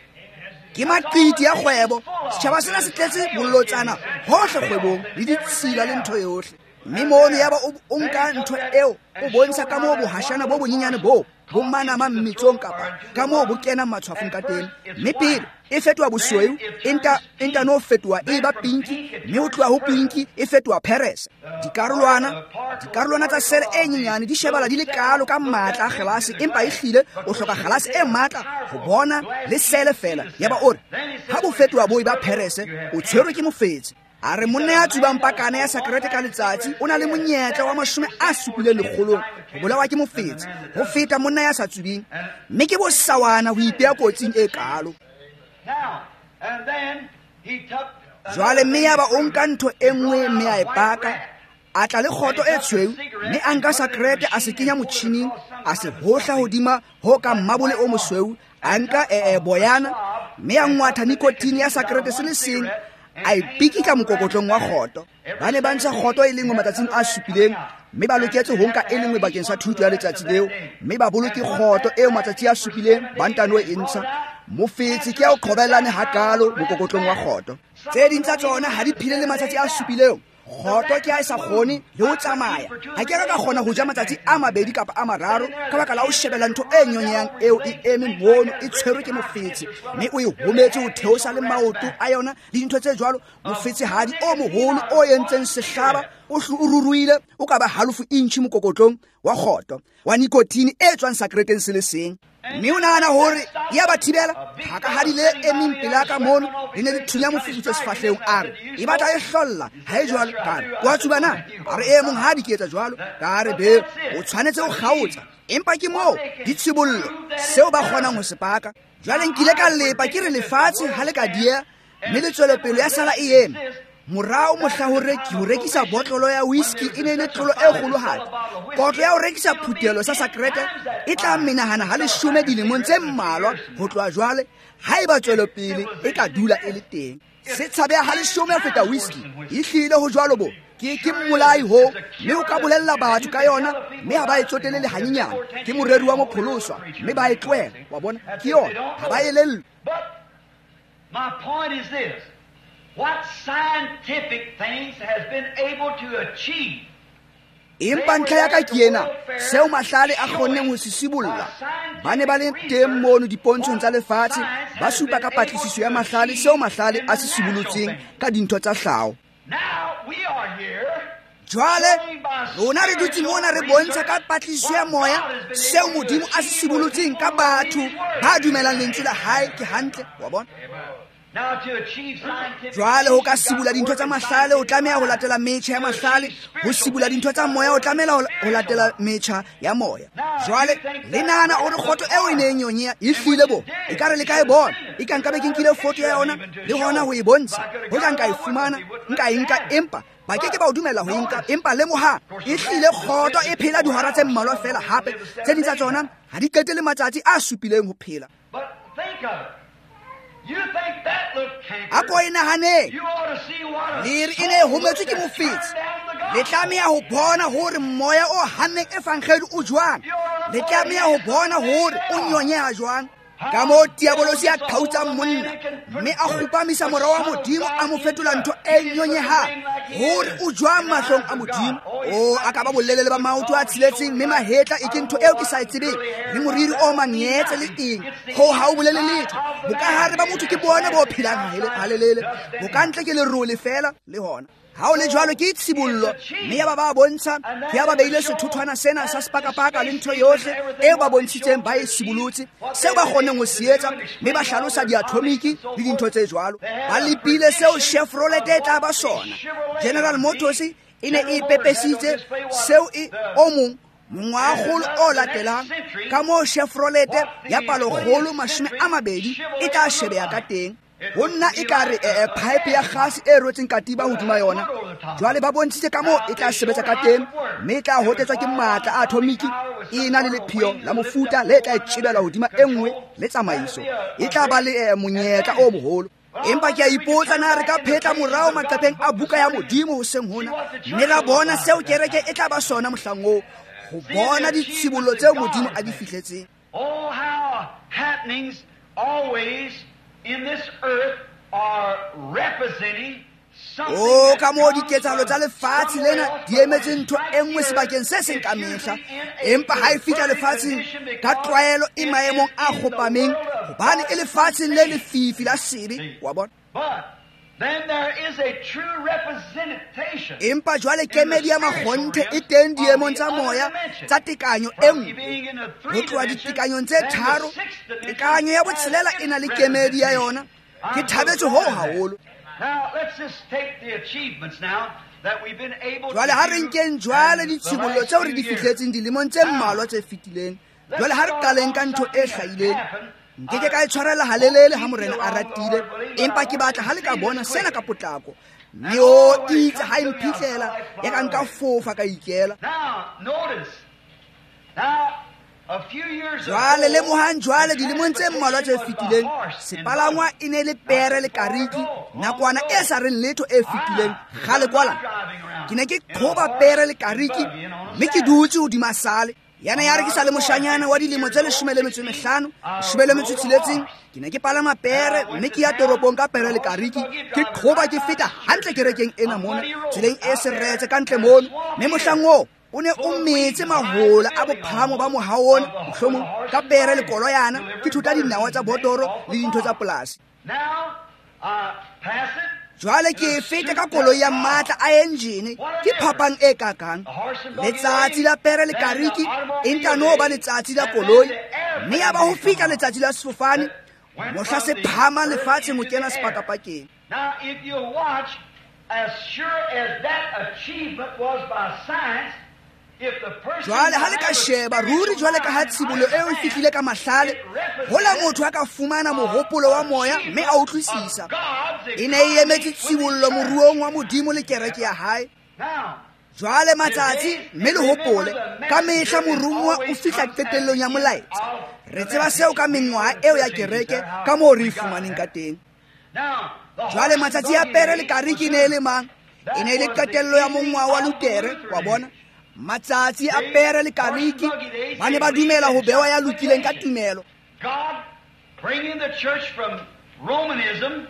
Ke maqiti ya kgwebo. Setjhaba sena se tletse bolotsana hohle kgwebong le ditshila le ntho yohle. Mme mono yaba o nka ntho eo o bontsha ka moo bohashana bo bonyenyane bo bo manama mmetsong kapa ka moo bo kenang matshwafong ka teng. Mme pele e fetoha bosweu, e nta e nta no fetoha e ba pinki, mme ho tloha ho pinki e fetoha perese. Dikarolwana dikarolwana tsa sele e nyenyane di shebala di le kalo ka matla a kgelase, empa ehlile o hloka kgelase e matla ho bona le sele fela. Yaba o re ha bo fetoha bo e ba perese, o tshwerwe ke mofetse. A re monna ya tsubang pakana ya sakrete ka letsatsi o na le monyetla wa mashome a supileng lekgolong ho bolawa ke mofetse ho feta monna ya sa tsubing. Mme ke bosawana ho ipeha kotsing e kalo. Jwale mme yaba o nka ntho e nngwe mme a e paka, a tla le kgoto e tshweu, mme a nka sakrete a se kenya motjhining, a se hohla hodima ho ka mmabole o mosweu, a nka e, e boyana, mme a ngwatha nikotine ya sakrete se le seng, a e pikitla mokokotlong wa kgoto. Ba ne ba ntsha kgoto e lengwe matsatsing a supileng, mme ba loketse ho nka e lengwe bakeng sa thuto ya letsatsi leo, mme ba boloke kgoto eo matsatsi a supileng ba ntano e ntsha. Mofetse ke ya o qhobellane hakalo mokokotlong wa kgoto. Tse ding tsa tsona ha di phele le matsatsi a supileng. Kgoto ke ha e sa kgone le ho tsamaya. Ha ke ka kgona ho ja matsatsi a mabedi kapa a mararo ka baka la ho shebella ntho e nyonyang eo e eme mono e tshwerwe ke mofetse, mme o e hometse ho theosa le maoto a yona le dintho tse jwalo. Mofetsehadi o moholo o entseng sehlaba o ruruile o ka ba halofo inchi mokokotlong wa kgoto wa nikotine e tswang sakreteng se le seng. Mme o nahana hore ya ba thibela thakahadi le emeng pela ka mono le ne le thunya mofufutso sefahlehong. A re e batla e hlolla ha e jwalo. Ka re wa tsuba na? A re e monghadi ke etsa jwalo. Ka re be o tshwanetse ho kgaotsa, empa ke moo ditshibollo seo ba kgonang ho se paka. Jwale nkile ka lepa ke re lefatshe ha le ka dieha, mme le tswelopele ya sala e eme. Morao mohla ho reki ho rekisa botlolo ya whisky e ne le tlolo e kgolohadi. Kotlo ya ho rekisa phuthelo sa sakrete e tla menahana ha leshome dilemong tse mmalwa ho tloha jwale, haeba tswelopele e ka dula e le teng. Se tshabeha ha leshome ho feta whisky. Ehlile ho jwalo bo. Ke ke mmolai ho, mme o ka bolella batho ka yona, mme ha ba e tsotelle le hanyenyane. Ke moreri wa mopholoswa, mme ba e tlohela. Wa bona? Ke yona, ha ba elellwe. My point is this. What scientific things has been able to achieve? Empa ntlha ya ka ke ena, seo mahlale a kgonneng ho se sibolla. Ba ne ba le teng mono dipontshong tsa lefatshe, ba supa ka patlisiso ya mahlale seo mahlale a se sibolotseng ka dintho tsa hlaho. Jwale rona re dutse mona re bontsha ka patlisiso ya moya seo Modimo a se sibolotseng ka batho ba dumelang lentswe la hae. Ke hantle, wa bona? Jwale ho ka sibula dintho tsa mahlale o tlameha ho latela metjha ya mahlale, ho sibula dintho tsa moya o tlameha ho latela metjha ya moya. Jwale le nahana hore kgoto eo e neng yonye e hlile bo, ekare le ka e bona, e ka nka be ke nkile foto ya yona le hona ho e bontsha, ho ka nka e fumana, nka e nka, empa ba ke ke ba o dumela ho nka. Empa lemoha, e hlile kgoto e phela dihora tse mmalwa fela, hape tse ding tsa tsona ha di qete le matsatsi a supileng ho phela. A ko e nahaneng, lere e ne e hometswe ke mofetshe, Le tlameha ho bona hore moya o hanneng evangeli o jwang. Le tlameha ho bona hore o nyonyeha jwang. Ka moo diabolosi a qhautsang monna mme a kgopamisa mora wa Modimo a mo fetola ntho e nyonyehang hore o jwang mahlong a Modimo. O a ka ba bolelele ba maoto a tsheletseng mme mahetla e ke ntho eo ke sa e tsebeng le moriri o mangetse le eng. Ho ha o bolele letho. Bokahare ba motho ke bona bo phelang halelele. Bokantle ke lerole fela le hona. Ha o le jwalo ke tshibollo mme ya ba ba bontsha ke ya ba beile sethuthwana sena sa sepakapaka le ntho yohle eo ba bontshitseng ba e sibolotse seo ba kgoneng ho se etsa mme ba hlalosa diatomiki le dintho tse jwalo. Ba lepile seo Chevrolet e tla ba sona. General Motors e ne e pepesitse seo e o mong mongwaholo o latelang ka moo Chevrolet ya palokgolo mashome a mabedi e tla shebeha ka teng. Ho nna e ka re eh, pipe ya gase e rotseng katiba hodima yona. Jwale ba bontshitse ka moo e tla sebetsa ka teng mme e tla hotetswa ke matla a atomiki e na le lepheo la mofuta le tla tjebelwa hodima e nngwe le tsamaiso. E tla ba le eh, monyetla o moholo. Empa ke a ipotsa na re ka phetla morao maqepheng a buka ya Modimo hoseng hona mme ra bona seo kereke e tla ba sona mohlang oo, ho bona ditshibollo tseo Modimo a di fihletseng. Oh, how happenings always in this earth are representing something. Oh, ka moo diketsahalo tsa lefatshe lena di emetse ntho e nngwe sebakeng se seng ka mehla. Empa ha e fihla lefatsheng ka tlwaelo e maemong a kgopameng hobane e lefatsheng le lefifi la sebe, wa bona. But then there is a true representation. Empa jwale kemedi ya makgonthe e teng diemong tsa moya tsa tekanyo e nngwe. Ho tloha ditekanyong tse tharo, tekanyo ya botshelela e na le kemedi ya yona. Ke thabetse hoo haholo. Now let's just take the achievements now that we've been able to Jwale ha re do nkeng jwale in the ditshibollo last tseo re di few years. fihletseng dilemong tse mmalwa tse fetileng. Jwale ha re qaleng ka ntho e hlahileng. Nke ke ka e tshwarela halelele ha Morena a ratile, empa ke batla ha le ka bona sena ka potlako. Mme o itse ha e mphihlela, ya ka nka fofa ka ikela. Now notice. Now a few years Jwale ago, lemohang jwale dilemong tse mmalwa tse fetileng, sepalangwa e ne le pere le kariki nakwana e sa reng letho e fetileng kgale kwala. Ke ne ke qhoba pere le kariki mme ke dutse hodima sale. Yana ya re ke sa le moshanyana wa dilemo tse leshome le metso e mehlano, leshome le metso e tsheletseng, ke ne ke palama pere mme ke ya toropong ka pere le kariki, ke qhoba ke feta hantle kerekeng ena mona, tseleng e seretse ka ntle mono. Mme mohlang oo o ne o metse mahola a bophahamo ba mohao ona, mohlomong ka pere le koloyana, ke thuta dinawa tsa botoro le dintho tsa polasi. Now, uh, pass it. Jwale ke e feta ka koloi ya matla a engine, ke phapang e kakang. Letsatsi la pere le kariki e ntano ba letsatsi la koloi, mme ya ba ho fihla letsatsi la sefofane mohla se phahama lefatsheng ho kena sepakapakeng. Now, if you watch, as sure as that achievement was by science, if the person Jwale ha le ka sheba ruri jwale ka ha tshibollo eo e fihlile ka mahlale, hola motho a ka fumana mohopolo wa moya mme a utlwisisa. E ne e emetse tshibollo moruong wa Modimo le kereke ya hae. Now, Jwale matsatsi mme le hopole ka mehla morumuwa o fihla qetellong ya molaetsa. Re tseba seo ka mengwaha eo ya kereke ka moo re e fumaneng ka teng. now, the Jwale matsatsi a pere le kariki e ne e le mang? E ne e le qetello ya mongwaha wa Lutere, wa bona. Matsatsi a pere le kariki ba ne ba dumela ho bewa ya lokileng ka tumelo. God bringing the church from Romanism,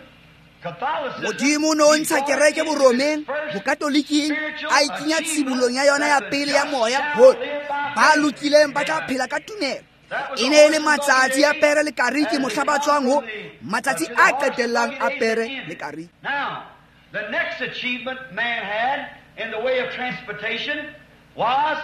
Catholicism, Modimo o no ntsha kereke boromeng, bokatoliking, a e kenya tshibollong ya yona ya pele ya moya hore ba lokileng ba tla phela ka tumelo. E ne e le matsatsi a pere le kariki mohla ba tswang ho matsatsi a qetellang a pere le kariki. Now, the next achievement man had in the way of transportation was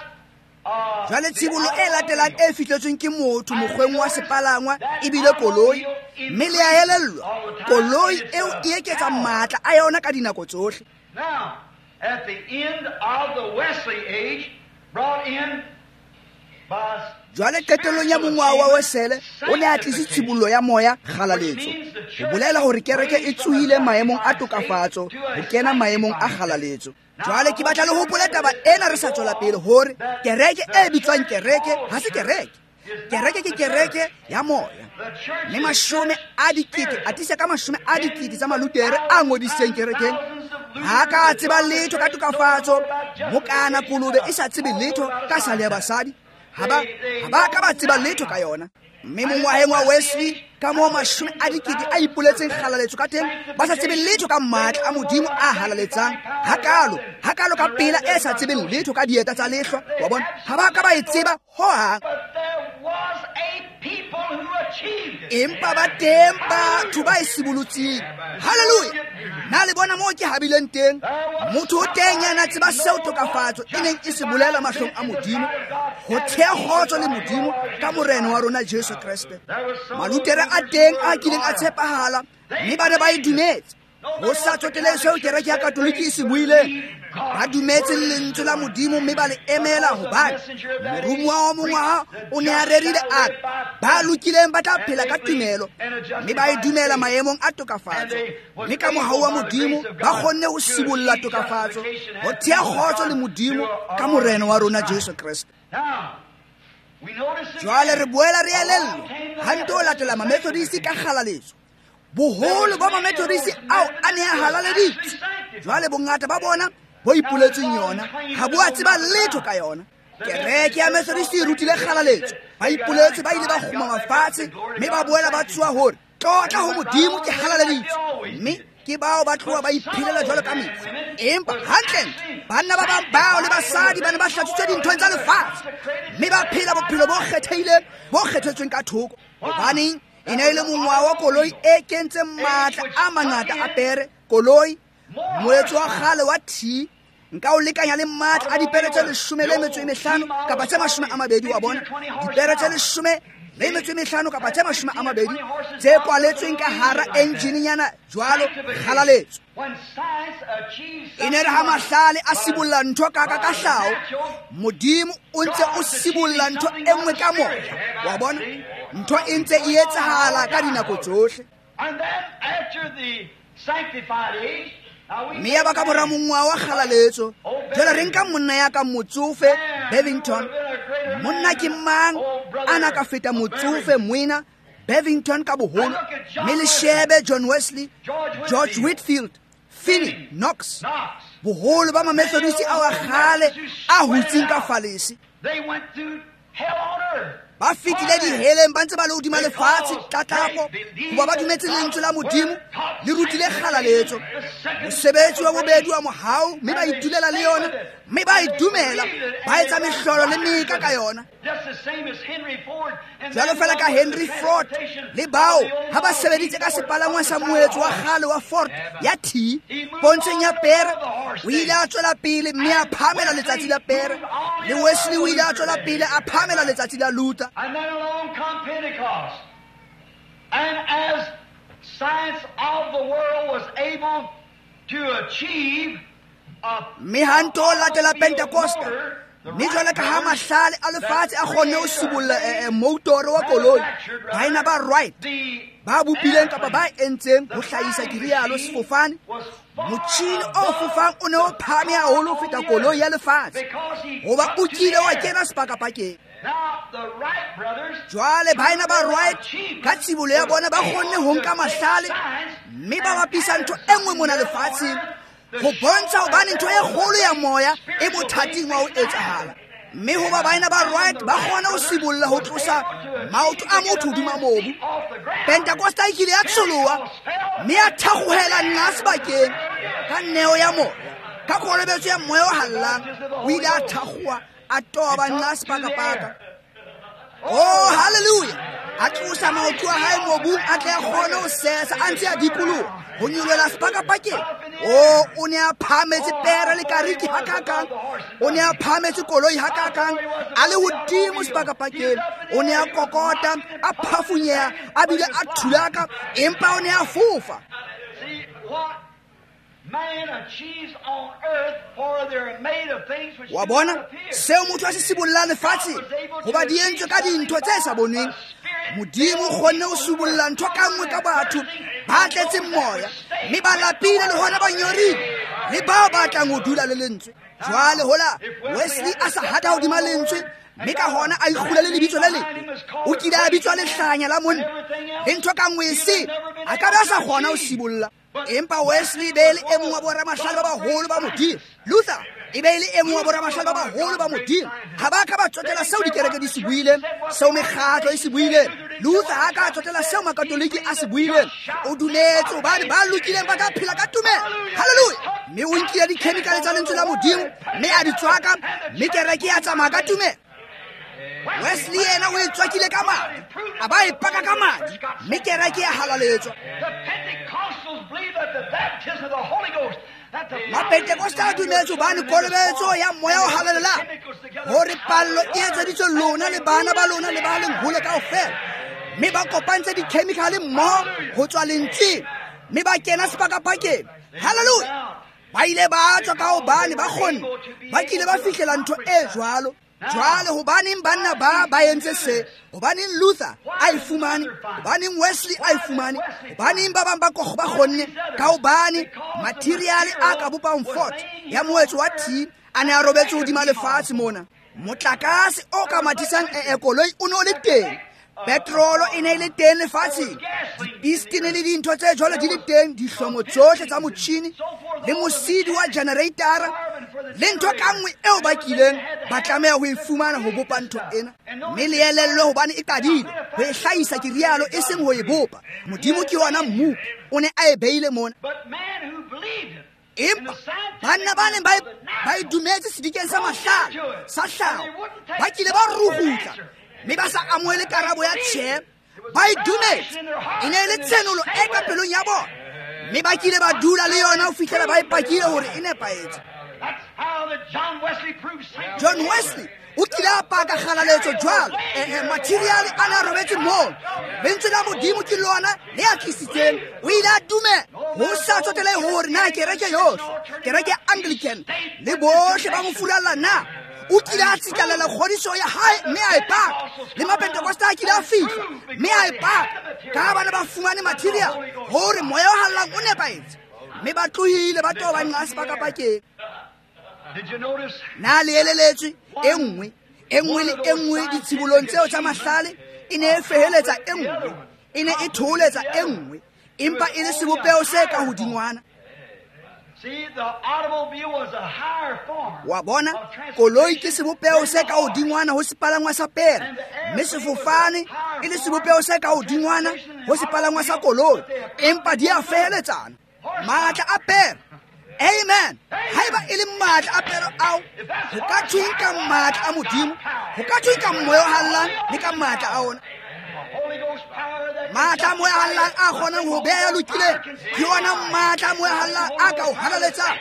uh, Jwale tshibollo e latelang e fihletsweng ke motho mokgweng wa sepalangwa e bile koloi, mme le a elellwa koloi eo e eketsa matla a yona ka dinako tsohle. Now, at the end of the Wesley age, brought in by Jwale qetellong ya mongwaha wa Wesele o ne a tlise tshibollo ya moya kgalaletso, ho bolela hore kereke e tsohile maemong a tokafatso ho kena maemong a kgalaletso. Jwale ke batla le hopole taba ena re sa tswela pele hore kereke e bitswang kereke ha se kereke. Kereke ke kereke ya moya. Mme mashome a dikete, a tisa ka mashome a dikete tsa malutere a ngodisitseng kerekeng, Ha ka tseba letho ka tokafatso, mokana kolobe e sa tsebe letho ka sale ya basadi. Ha ba ha ba ka ba tseba letho ka yona. Mme mongwaheng wa Wesley, ka moo mashome a dikete a ipoletseng kgalaletso ka teng, ba sa tsebe letho ka matla a Modimo a halaletsang. Hakalo, hakalo ka pela e sa tsebeng letho ka dieta tsa lehlwa, wa bona, ha ba ka ba e tseba hohang. Empa ba teng batho ba e sibolotseng. Hallelujah! Na le bona moo ke habileng teng? Motho o teng ya na tseba seo tokafatso e neng e se bolela mahlong a Modimo, ho thea kgotso le Modimo ka Morena wa rona Jesu Kreste. Malutere a teng a kileng a tshepahala, mme ba ne ba e dumetse. Ho sa tsotelehe seo kereke ya Katoliki e se buileng, ba dumetse lentswe la Modimo mme ba le emela, hobane moromuwa wa mongwaha o ne a rerile a re ba lokileng ba tla phela ka tumelo, mme ba e dumela maemong a tokafatso. Mme ka mohau wa Modimo ba kgonne ho sibolla tokafatso, ho thea kgotso le Modimo ka Morena wa rona Jesu Kreste. Jwale re boela re elellwa ha nto latela Mamethodisi ka kgalaletso. Boholo ba Mamethodisi ao a ne a halaleditswe, jwale bongata ba bona bo ipoletseng yona ha bo a tseba letho ka yona. Kereke ya Methodist e rutile kgalaletso, ba ipoletse ba ile ba kgumama fatshe mme ba boela ba tsoha hore tlotla ho Modimo ke halaleditswe, mme ke bao ba tloha ba iphelela jwalo ka metsi. Empa hantlentle banna ba bang bao le basadi ba ne ba hlatswitswe dinthong tsa lefatshe mme ba phela bophelo bo kgethehileng, bo kgethetsweng ka thoko. Hobaneng? E ne e le mongwaha wa koloi e kentseng matla a mangata a pere. Koloi, moetso wa kgale wa T, nka o lekanya le matla a dipere tse leshome le metso e mehlano kapa tse mashome a mabedi, wa bona, dipere tse leshome le metso e mehlano kapa tse mashome a mabedi tse kwaletsweng ka hara engine-nyana jwalo kgalaletso. E ne re ha mahlale a sibolla ntho ka ka ka hlaho, Modimo o ntse o sibolla ntho e nngwe ka moya, wa bona, ntho e ntse e etsahala ka dinako tsohle. Mme ya ba ka mora mongwaha wa kgalaletso, jwale re nka monna ya ka motsofe Bevington. Monna ke mang a na ka feta motsofe moena Bevington ka boholo? Mme le shebe John Wesley, George Whitfield, Finney, Knox, boholo ba Mamethodisi ao a kgale a hutseng ka falese. Ba fetile diheleng ba ntse ba le hodima lefatshe tlatlapo, hoba ba dumetse lentswe la Modimo le rutile kgalaletso. Mosebetsi wa bobedi wa mohau, mme ba itulela le yona, mme ba e dumela, ba etsa mehlolo le meka ka yona. Jwalo fela ka Henry Ford le bao ha ba sebeditse ka sepalangwa sa moetso wa kgale wa Ford ya T pontsheng ya pere, o ile a tswela pele mme a phamela letsatsi la pere. Le Wesley o ile a tswela pele a phamela letsatsi la Luther. And then along come Pentecost. And as science of the world was able to achieve a mme ha nto latela Pentecosta, mme jwale ka ha mahlale a lefatshe a kgonne ho sibolla moutoro wa koloi, baena ba Wright ba bopileng kapa ba entseng ho hlahisa kirialo sefofane, motjhini o fofang o ne o phahame haholo ho feta koloi ya lefatshe, hoba o kile wa kena sepakapakeng. Jwale baena ba Wright ka tsibolo ya bona ba kgonne ho nka mahlale mme ba bapisa ntho e nngwe mona lefatsheng ho bontsha hobane ntho e kgolo ya moya e bothating wa ho etsahala. Mme hoba baena ba Wright ba kgona ho sibolla ho tlosa maoto a motho hodima mobu, Pentecosta e kile ya tsholoha mme ya thakgohela nna sebakeng ka neo ya moya, ka kolobetso ya moya o hallang. O ile a thakgoha a toba nna sepakapaka. Oh, hallelujah! A tlosa maoto a hae mobung a tle a kgone ho sesa a ntse a dikoloha ho nyolohela sepakapakeng. Oh, o ne a phahametse pere le kariki hakakang, o ne a phahametse koloi hakakang, a le hodimo sepakapakeng. O ne a kokota, a phafunyeha, a bile a thulaka, empa o ne a fofa. Wa bona seo motho a se sibollang lefatsheng, hoba di entswe ka dintho tse sa bonweng. Modimo o kgonne ho sibolla ntho ka nngwe ka batho ba tletseng moya, mme ba lapile le hona ba nyorile, le bao ba tlang ho dula le lentswe. Jwale hola Wesley a sa hata hodima lentswe, mme ka hona a ikgula le lebitso le lebe, o kile a bitswa lehlanya la monna le ntho ka nngwe e sele, a ka be a sa kgona ho sibolla. Empa Wesley be le e mong wa boramahlale ba baholo ba Modimo. Luther e be le e mong wa boramahlale ba baholo ba Modimo. Ha ba ka ba tsotela seo dikereke di se buileng, seo mekgatlo e se buileng. Luther ha ka tsotela seo makatoliki a se buileng. O dumetse hobane ba lokileng ba ka phela ka tumelo. Hallelujah. Mme o nkile dikhemikhale tsa lentswe la Modimo mme a di tswaka, mme kereke ya tsamaya ka tumelo. Wesley yena o e tswakile ka madi, a ba e paka ka madi, mme kereke ya halaletswa. Mapentekosta a dumetse hobane kolobetso ya moya o halalelang, hore pallo e etseditswe lona le bana ba lona le ba leng hole kaofela. Mme ba kopantse dikhemikhale mmoho ho tswa lentsweng, mme ba kena sepakapakeng. Hallelujah. Ba ile ba tswa ka hobane ba kgonne, ba kile ba fihlela ntho e jwalo. Jwale hobaneng banna ba ba entse se? Hobaneng Luther a e fumane? Hobaneng Wesley a e fumane? Hobaneng ba bang ba ba kgonne? Ka hobane materiale a ka bopang fort ya moetso wa T a ne a robetse hodima lefatshe mona. Motlakase o ka mathisang e koloi o ne o le teng. Petrolo e ne e le teng lefatsheng. Dipistene le dintho tse jwalo di le teng, dihlomo tsohle tsa motjhini le mosidi wa generatora le ntho ka nngwe eo ba kileng ba tlameha ho e fumana ho bopa ntho ena. Mme le elellwe hobane e qadile ho e hlahisa, ke rialo, e seng ho e bopa. Modimo ke yona mmopi, o ne a e beile mona. Empa banna ba neng ba ba e dumetse sedikeng sa mahlale sa hlaho, ba kile ba rugutla mme ba sa amohele karabo ya tjhe. Ba e dumetse, e ne e le tshenolo e ka pelong ya bona, mme ba kile ba dula le yona ho fihlela ba e pakile hore e nepahetse. John Wesley o kile a paka kgalaletso jwalo. Eh, materiale a ne a robetse moo. Lentswe la Modimo ke lona le a tlisitseng. O ile a dumela ho sa tsotelehe hore na kereke yohle, kereke ya Anglican le bohle ba mo furalla na. O kile a tsitlallela kgodiso ya hae mme a e paka. Le Mapentekosta a kile a fihla mme a e paka. Ka bana ba fumane material hore moya o hallang o nepahetse, mme ba tlohile ba toba nqa sepakapakeng. Na le eleletswe e nngwe e nngwe le e nngwe ditshibolong tseo tsa mahlale e ne e feheletsa e nngwe, e ne e thoholetsa e nngwe, empa e le sebopeho se ka hodingwana. Wa bona, koloi ke sebopeho se ka hodingwana ho sepalangwa sa pere, mme sefofane e le sebopeho se ka hodingwana ho sepalangwa sa koloi, empa di a feheletsana. Matla a pere. Amen. Haeba e le matla a pere ao, ho ka thweng ka matla a Modimo? Ho ka thweng ka moya o hallang le ka matla a ona? Matla a moya hallang a kgonang ho beha ya lokileng, ke ona matla a moya hallang a ka o halaletsang.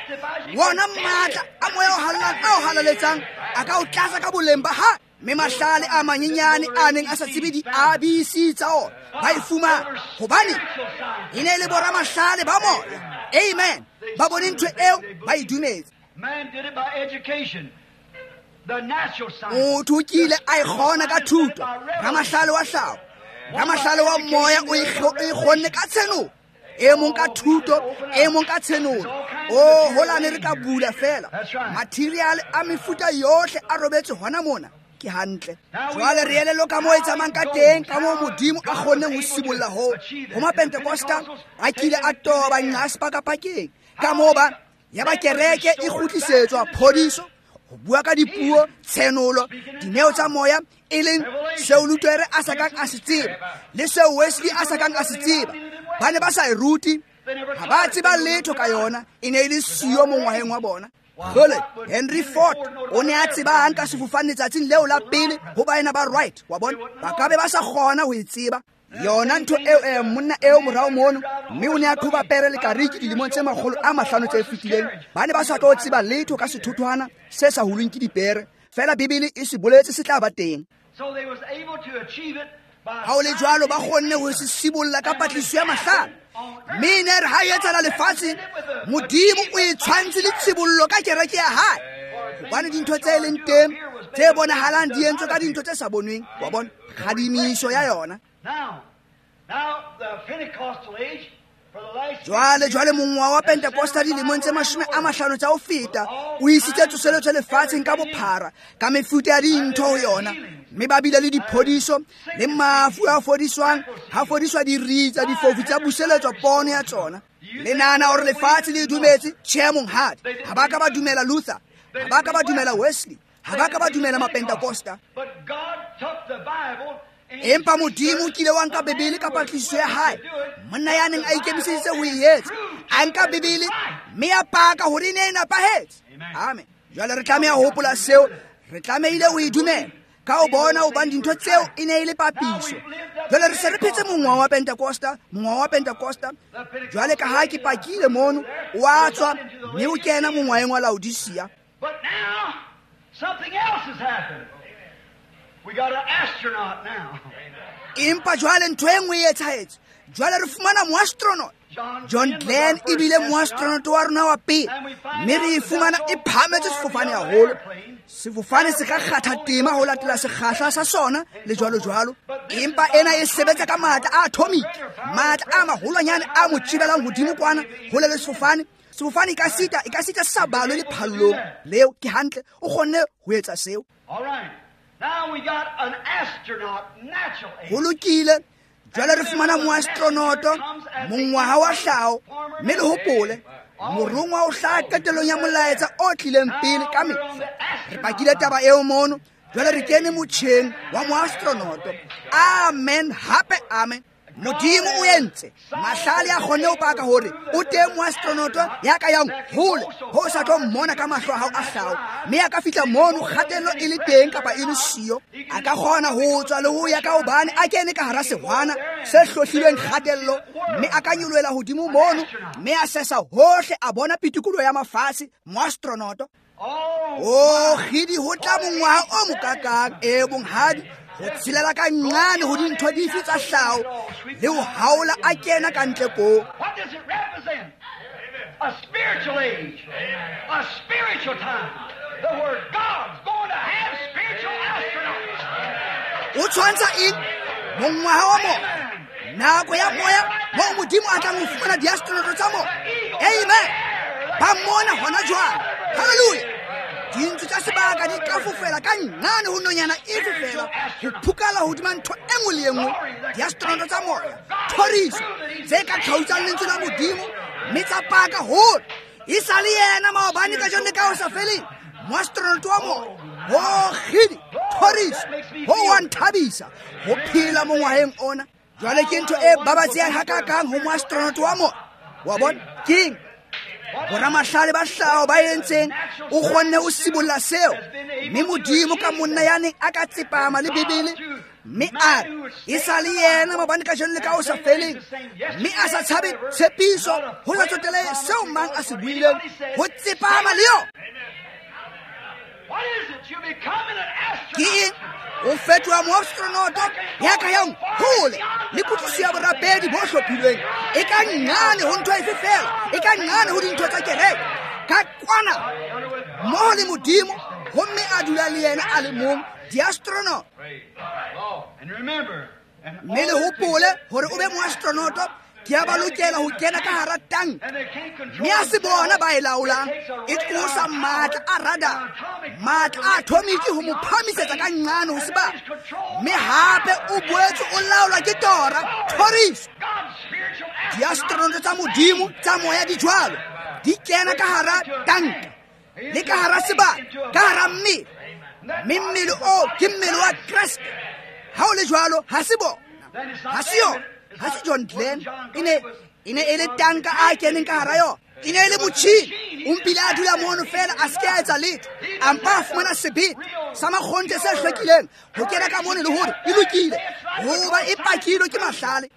Wona matla a moya o hallang a o halaletsang a ka o tlatsa ka boleng ba hae. Mme mahlale a manyenyane a neng a sa tsebe di-A B C tsa ona ba e fumana, hobane e ne e le boramahlale ba moya. Amen. Ba bone ntho eo, ba e dumetse. Motho o kile a e kgona ka thuto, ramahlale wa hlaho, ramahlale wa moya o e kgonne ka tshenolo. E mong ka thuto, e mong ka tshenolo. O holane re ka bula fela. Material a mefuta yohle a robetse hona mona. Ke hantle. Jwale re elellwe ka moo e tsamayang ka teng, ka moo Modimo a kgonneng ho sibolla hoo. Ho Mapentekosta a kile a toba nqa sepakapakeng. Ka moo ba ya ba kereke e kgutlisetswa phodiso, ho bua ka dipuo, tshenolo, dineo tsa moya, e leng seo Luther a sa kang a se tseba le seo Wesley a sa kang a se tseba. Ba ne ba sa e rute, ha ba tseba letho ka yona, e ne e le siyo mongwaheng wa bona. Jole, Henry Ford o ne a tsebang ka sefofane letsatsing leo la pele ho baena ba Wright, wa bona, ba ka be ba sa kgona ho e tseba. Yona ntho eo, eh, monna eo morao mono, mme o ne a qhoba pere le kariki dilemong tse makgolo a mahlano tse fetileng. Ba ne ba sa tlo tseba letho ka sethothwana se sa hulweng ke dipere, feela Bibele e se boletse se tla ba teng. Ha ho le jwalo, ba kgonne ho se sibolla ka patlisiso ya mahlale. Mme e ne re ha e etsahala lefatsheng, Modimo o e tshwantse le tshibollo ka kereke ya hae. Hobane dintho tse leng teng tse bonahalang di entswe ka dintho tse sa bonweng, wa bona, kgadimiso ya yona. Jwale jwale mongwaha wa Pentecosta dilemong tse mashome a mahlano tsa ho feta o isitse tsoseletso lefatsheng ka bophara ka mefuta ya dintho ho yona, mme ba bile le diphodiso le mafu a fodiswang, ha fodiswa diritsa, difofu tsa buseletswa pono ya tsona. Le nahana hore lefatshe le dumetse? Tjhe, monghadi. Ha ba ka ba dumela Luther, ha ba ka ba dumela Wesley, ha ba ka ba dumela Mapentecosta. Empa Modimo o kile wa nka Bibele ka patlisiso ya hae, monna ya neng a ikemiseditse ho e etsa, a nka Bibele mme a paka hore e ne e nepahetse. Amen. Jwale re tlameha ho hopola seo, re tlamehile ho e dumela ka ho bona hobane dintho tseo e ne e le papiso. Jwale re se re phetse mongwaha wa Pentecosta, mongwaha wa Pentecosta. Jwale ka ha ke pakile mono, o a tswa mme o kena mongwaheng wa Laodicea. But now something else has happened. We got an astronaut now. Empa jwale ntho e nngwe e etsahetse. Jwale re fumana moastronaut. John Glenn e bile moastronaut wa rona wa pele, mme re e fumana e phahametse sefofane haholo. Sefofane se ka kgatha tema ho latela sekgahla sa sona le jwalo jwalo, empa ena e sebetsa ka matla a atomic, matla a maholwanyane a mo tjibelang hodimo kwana hole le sefofane. Sefofane e ka sita, e ka sita se sa balwe lephallong leo. Ke hantle, o kgonne ho etsa seo. All right. Now we got an astronaut, natural age. Ho lokile. Jwale re fumana moastronoto, mongwaha wa hlaho, mme le hopole morongwa o hlaha qetellong ya molaetsa o tlileng pele ka mehla. Re pakile taba eo mono. Jwale re kene motjheng wa moastronoto. Amen, hape amen. Modimo o entse mahlale a kgonne ho paka hore o teng moastronoto ya ka yang hole ho sa tlo mmona ka mahlo a hao a hlaho, mme a ka fihla mono kgatello e le teng kapa e le siyo. A ka kgona ho tswa le ho ya ka hobane a kene ka hara sehwana se hlohlilweng kgatello, mme a ka nyolohela hodimo mono mme a sesa hohle a bona pitikolo ya mafatshe. Moastronoto. O kgidi, ho tla mongwaha o mokakang. E bonghadi, ho tshelela ka nqane ho dintho dife tsa hlaho le ho haola a kena ka ntle koo. What does it represent? A spiritual age, a spiritual time, the word God's going to have spiritual astronauts. O tshwantsha eng? Mongwaha wa moya, nako ya moya moo Modimo a tlang ho fumana diastronaut tsa moya. Amen. Ba mona hona jwale. Hallelujah. Dintsu tsa sebaka di ka fofela ka nqane ho nonyana e fofela ho phukala hodima ntho e nngwe le e nngwe. Diastronaut tsa moya, thoriso tse ka tlhautsang lentswe la Modimo mme tsa paka hore e sa le yena maobane, kajeno le ka ho sa feleng. Moastronaut wa moya, ho kgidi, thoriso, ho wa nthabisa ho phela mongwaheng ona. Jwale ke ntho e babatsehang hakakang ho moastronaut wa moya. Wa bona keng? Boramahlale ba hlaho ba entseng o kgonne ho sibolla seo, mme Modimo ka monna ya neng a ka tsepama le Bibele mme a re e sa le yena maobane, kajeno le ka ho sa feleng, mme a sa tshabe tshepiso ho sa tsotelehe seo mang a se buileng, ho tsepama le yona. What is it? You becoming an Ke eng? astronaut. O fetoha moastronoto ya ka yang hole le kutlwisiso ya borapedi bo hlophilweng. E ka nqane ho ntho efe feela, e ka nqane ho dintho tsa kereke, ka kwana mmoho le Modimo, homme a dula le yena a le mong, diastronaut. And remember, and Mme le hopole hore o be moastronoto, ke a ba lokela ho kena ka hara tanka, and they can't control mme a se bona ba e laolang. E tlosa matla a radar, matla a atomic ho mo phahamisetsa ka nqane ho sebaka, mme hape o boetse o laolwa ke tora, thoriso. God's spiritual Diastronaut tsa Modimo tsa moya di jwalo, di kena ka hara tanka le ka hara sebaka, ka hara mmele, mme mmele oo ke mmele wa Kreste. Ha o le jwalo, ha se bona, ha se yona, ha se John Glenn. E ne e ne e le tanka a keneng ka hara yona, e ne e le motjhini. O mpile a dula mono feela, a se ke a etsa letho, a mpa a fumana sebete sa makgonthe se hlwekileng ho kena ka mono le hore e lokile, hoba e pakilwe ke mahlale.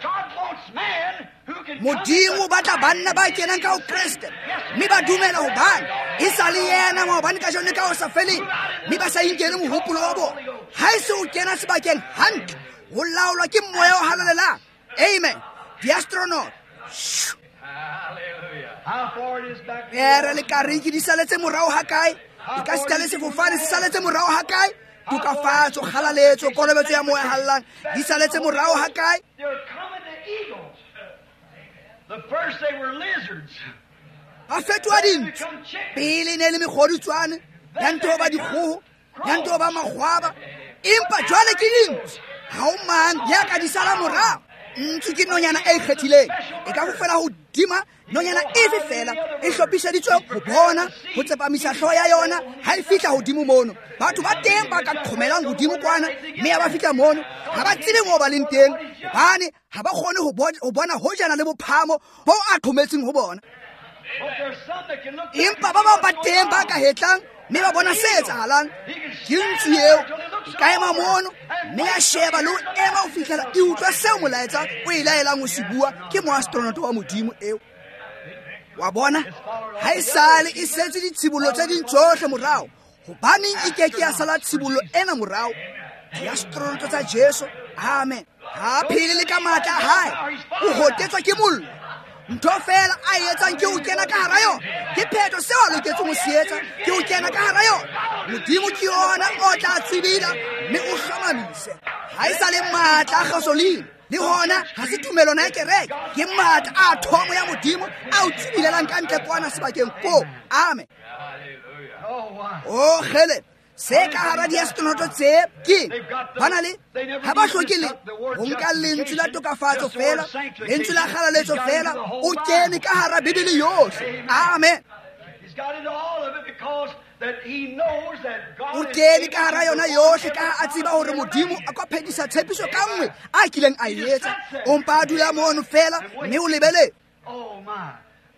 God wants man who can Modimo o batla banna ba kenang ka ho Kreste mme ba dumela hobane e sa le yena maobane, kajeno le ka ho sa feleng, mme ba sa inkele mohopolo wa bona. Ha e se o kena sebakeng hantle, ho laolwa ke moya o halalelang. Amen. Diastronaut. Hallelujah. How far it is back? Pere le kariki di saletse morao hakae? E ka sita le sefofane se saletse morao hakae? Tokafatso, kgalaletso, kolobetso ya moya hallang di saletse morao hakae? They're coming to eagles. Ba fetoha dintsu. Pele ne le mekgodutswane, ya nto ba dikgoho, ya nto ba makgwaba, empa jwale ke dintsu. Ha o mang ya ka di sala morao. Ntsu ke nonyana e ikgethileng, e ka fofela hodima nonyana efe fela, e hlophiseditswe ho bona, ho tsepamisa hlooho ya yona ha e fihla hodimo mono. Batho ba teng ba ka qhomelang hodimo kwana, mme ha ba fihla mono ha ba tsebe moo ba leng teng, hobane ha ba kgone ho bona hojana le bophahamo bo a qhometseng ho bona. Empa ba bang ba teng ba ka hetlang mme ba bona se etsahalang. Ke ntsu eo e ka ema mono mme ya sheba le ho ema ho fihlela e utlwa seo molaetsa o e laelang ho se bua. Ke moastronaut wa Modimo eo. Wa bona, ha e sale e setse ditshibollo tse ding tsohle morao. Hobaneng e ke ke ya sala tshibollo ena morao? Diastronaut tsa Jesu. Amen. Ha phele le ka matla a hae, o hotetswa ke mollo. Ntho fela a e etsang ke ho kena ka hara yona. Ke phetho seo a loketseng ho se etsa, ke ho kena ka hara yona. Modimo ke yona o tla tswibila mme o hlomamise. Ha e sa le matla a gasoline, le hona ha se tumelwana ya kereke, ke matla a thomo ya Modimo a o tswibilelang ka ntle kwana sebakeng koo. Amen. O kgele, se ka hara diastronaut tse ke ba na le ha ba hloke le ho nka lentswe la tokafatso fela, lentswe la kgalaletso fela, o kene ka hara Bibele yohle. Amen. O kene ka hara yona yohle ka ha a tseba hore Modimo a ka phethisa tshepiso ka nngwe a kileng a e etsa. O mpa a dula mono fela mme o lebeletse.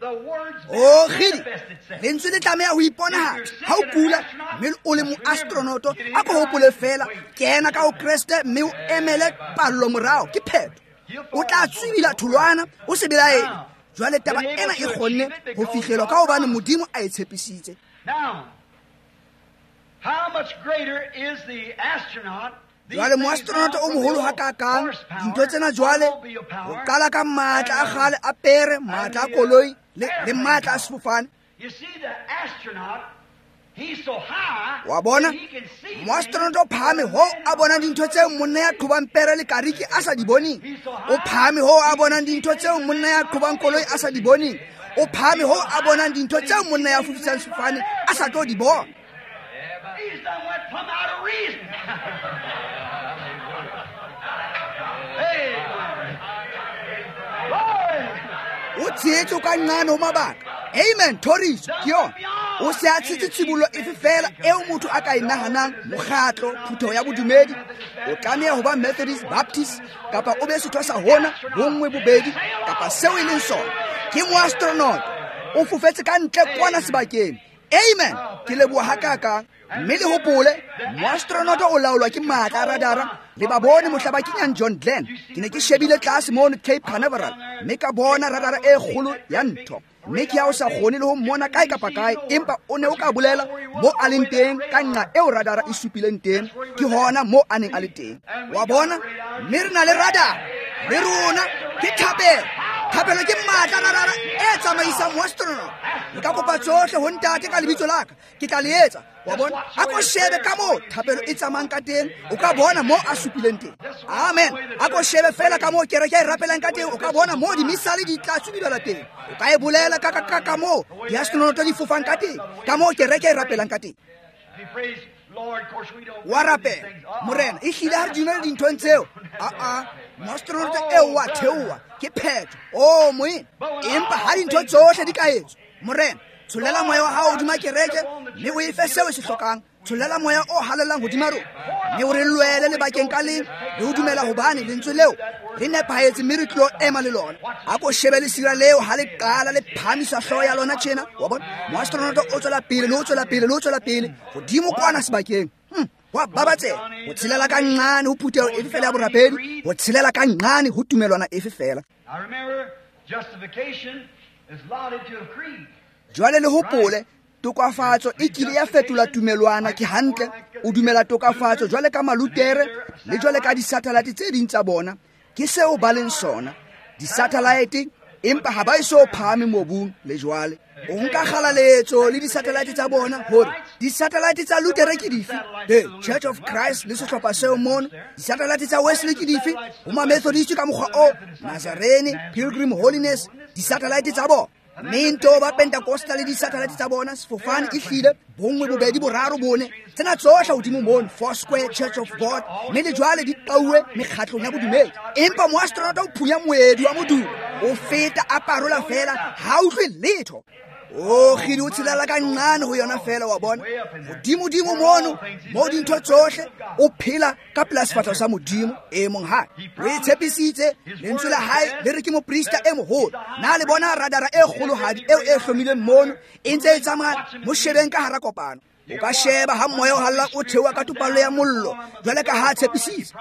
O kgidi, lentswe le tlameha ho iponahatsa. Ha o kula mme o le moastronaut, a ko hopole fela, kena ka ho Kreste mme o emele pallo morao. Ke phetho. O tla tswibila tholwana, o se belaele. Jwale taba ena e kgonne ho fihlelwa ka hobane Modimo a e tshepisitse. Jwale moastronaut o moholo hakakang, dintho tsena jwale ho qala ka matla a kgale a pere, matla a koloi le, le matla a sefofane. Wa bona, moastronaut o phahame hoo a bonang dintho tseo monna ya qhobang pere le kariki a sa di boneng. O phahame hoo a bonang dintho tseo monna ya qhobang koloi a sa di boneng. O phahame hoo a bonang dintho tseo monna ya fofisang sefofane a sa tlo di bona. O tshehetse ka nqane ho mabaka. Amen. Thoriso ke yona. O se a tshetse tshibollo efe fela eo motho a ka e nahanang, mokgatlo, phutheho ya bodumedi. O tlameha ho ba Methodist, Baptist, kapa o be setho sa hona, bonngwe, bobedi, kapa seo e leng sona. Ke moastronaut. O fofetse ka ntle kwana sebakeng. Amen. Ke leboha hakakang. Mme le hopole, moastronaut o laolwa ke matla a radara. Le ba bone mohla ba kenyang John Glenn. Ke ne ke shebile tlase mono Cape Canaveral, mme ka bona radara e kgolo ya ntho. Mme ke ha o sa kgone le ho mmona kae kapa kae, empa o ne o ka bolela mo a leng teng ka nqa eo radara e supileng teng, ke hona mo a neng a le teng. Wa bona, mme re na le radara le rona, ke thapelo. Thapelo ke matla radara e tsamaisang moastronaut. Le ka kopa tsohle ho Ntate ka lebitso la ka, ke tla le etsa. Wa bona, a ko shebe ka moo thapelo e tsamayang ka teng, o ka bona mo a supileng teng. Amen. A ko shebe fela ka moo kereke e rapelang ka teng, o ka bona moo dimisale di tla tswibela teng. O ka e bolela ka ka ka moo diastronaut di fofang ka teng, ka moo kereke e rapelang ka teng. Wa rapela, Morena, e hlile ha re dumele dinthong tseo. Aa, moastronaut eo wa theoha, ke phetho. O moena, empa ha dintho tsohle di ka etswa, Morena, tshollela moya wa hao hodima kereke mme o e fe seo e se hlokang. Tshollela moya o halalelang hodima rona mme o re lwele lebakeng ka leng le ho dumela hobane lentswe leo le nepahetse mme re tlo ema le lona. A ko shebe lesira leo ha le qala le phahamisa hlooho ya lona tjena. Wa bona, moastronaut o tswela pele le ho tswela pele le ho tswela pele hodimo kwana sebakeng. Hmm. Wa babatseha ho tshelela ka nqane ho phutheho efe fela ya borapedi, ho tshelela ka nqane ho tumelwana efe fela. Jwale le hopole, tokafatso e kile ya fetola tumelwana. Ke hantle, o dumela tokafatso jwale ka Malutere le jwale ka disatellite tse ding tsa bona. Ke seo ba leng sona, disatellite, empa ha ba eso phahame mobung le jwale. O nka kgalaletso le disatellite tsa bona, hore disatellite tsa Lutere ke dife? The Church of Christ le sehlopha seo mono. Disatellite tsa Wesley ke dife? Ho ma Methodist ka mokgwa o, Nazarene, Pilgrim Holiness, Disatellite tsa bona. Mme nto ba Pentecostal le disatellite tsa bona, sefofane e hlile bongwe bobedi boraro bone. Tsena tsohle hodimo mono, Four Square Church of God, mme le jwale di qauwe mekgatlong ya bodumedi. Empa moastronaut o phunya moedi wa modumo, o feta a parola fela, ha utlwe letho. O kgidi o tshelela ka nqane ho yona fela wa bona. Hodimo-dimo mono, mo dintho tsohle, o phela ka pela sefahleho sa Modimo e monghadi. O e tshepisitse, lentswe la hae le re ke moprista e moholo. Na le bona radara e kgolohadi eo e hlomilweng mono, e ntse e tsamaya, mo shebeng ka hara kopano. O ka sheba ha moya o halla o theoha ka topallo ya mollo, jwale ka ha a tshepisitse.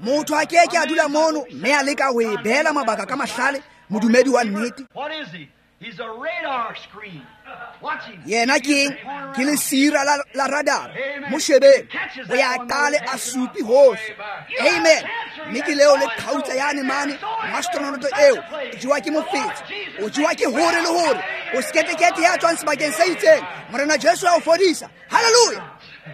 Motho a ke ke a dula mono mme a leka ho e beela mabaka ka mahlale, modumedi wa nnete. He's a radar screen. Watch him. Yena ke ke lesira la, la radar. Mo shebeng. O ya qale a supi hohle. Amen. Mme ke leo le qhautsa yane mane, astronaut eo, o jewa ke mofetshe. O jewa ke hore le hore. O sketekete ya tswang sebakeng se itseng. Morena Jesu a o fodisa. Hallelujah.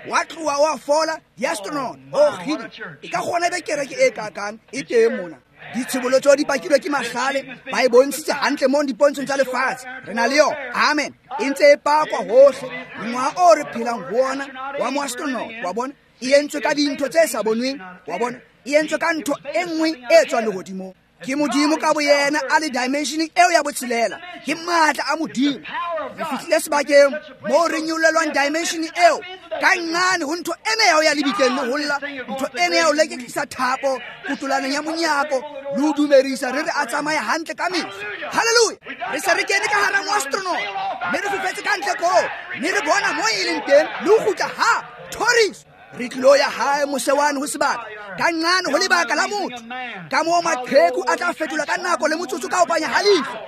Wa tloha wa fola di-astronaut. O kgidi. E ka kgona be kereke e kakang e teng mona. Ditshebolo tseo di pakilwe ke mahlale, ba e bontshitse hantle mo dipontshong tsa lefatshe. Re na le yona. Amen. E ntse e pakwa hohle. Mongwaha o re phelang ho ona wa moastronaut, wa bona, e entswe ka dintho tse sa bonweng, wa bona, e entswe ka ntho e nngwe e tswang lehodimong. Ke Modimo ka boyena a le dimensioning eo ya botshelela. Ke matla a Modimo. Re fihlile sebakeng moo re nyollelwang dimensioning eo ka nqane ho ntho ena ya ho ya lebitleng le ho lla, ntho ena ya ho leketlisa thapo kotolaneng ya monyako le ho dumedisa re re a tsamaye hantle ka mehla. Hallelujah. Re se re kene ka hara moastronaut mme re fofetse ka ntle koo, mme re bona mo e leng teng le ho kgutla hape. Thoriso. Re tlilo ya hae mose wane ho sebaka ka nqane ho lebaka la motho, ka moo maqheku a tla fetolwa ka nako le motsotso ka ho panya ha leihlo.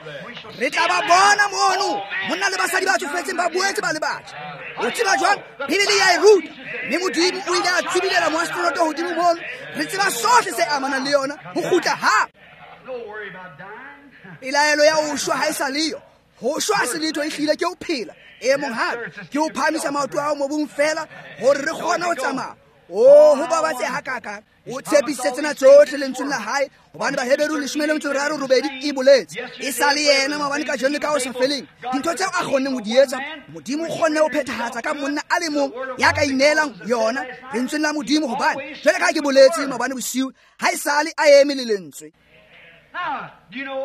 Re tla ba bona mono, monna le basadi ba tsofetseng ba boetse ba le batjha. O tseba jwang? Bibele ya e ruta. Mme Modimo o ile a tsubilela moastronaut hodimo mono. Re tseba sohle se amanang le yona ho kgutla hape. Pelaelo ya ho shwa ha e sa leyo. Ho shwa se letho e hlile ke ho phela. E monghadi, ke ho phahamisa maoto a hao mobung fela hore re kgone ho tsamaya. Oh, ho babatse hakakang. O tshepisitse tsena tsohle lentsweng la hae, hobane Baheberu leshome le metso e meraro robedi e boletse. E sa le yena maobane kajeno le ka ho sa feleng. Dintho tseo a kgonneng ho di etsa, Modimo o kgonne ho phethahatsa ka monna a le mong ya ka ineelang yona lentsweng la Modimo, hobane jwale ka ha ke boletse maobane bosiu, ha e sale a eme le lentswe.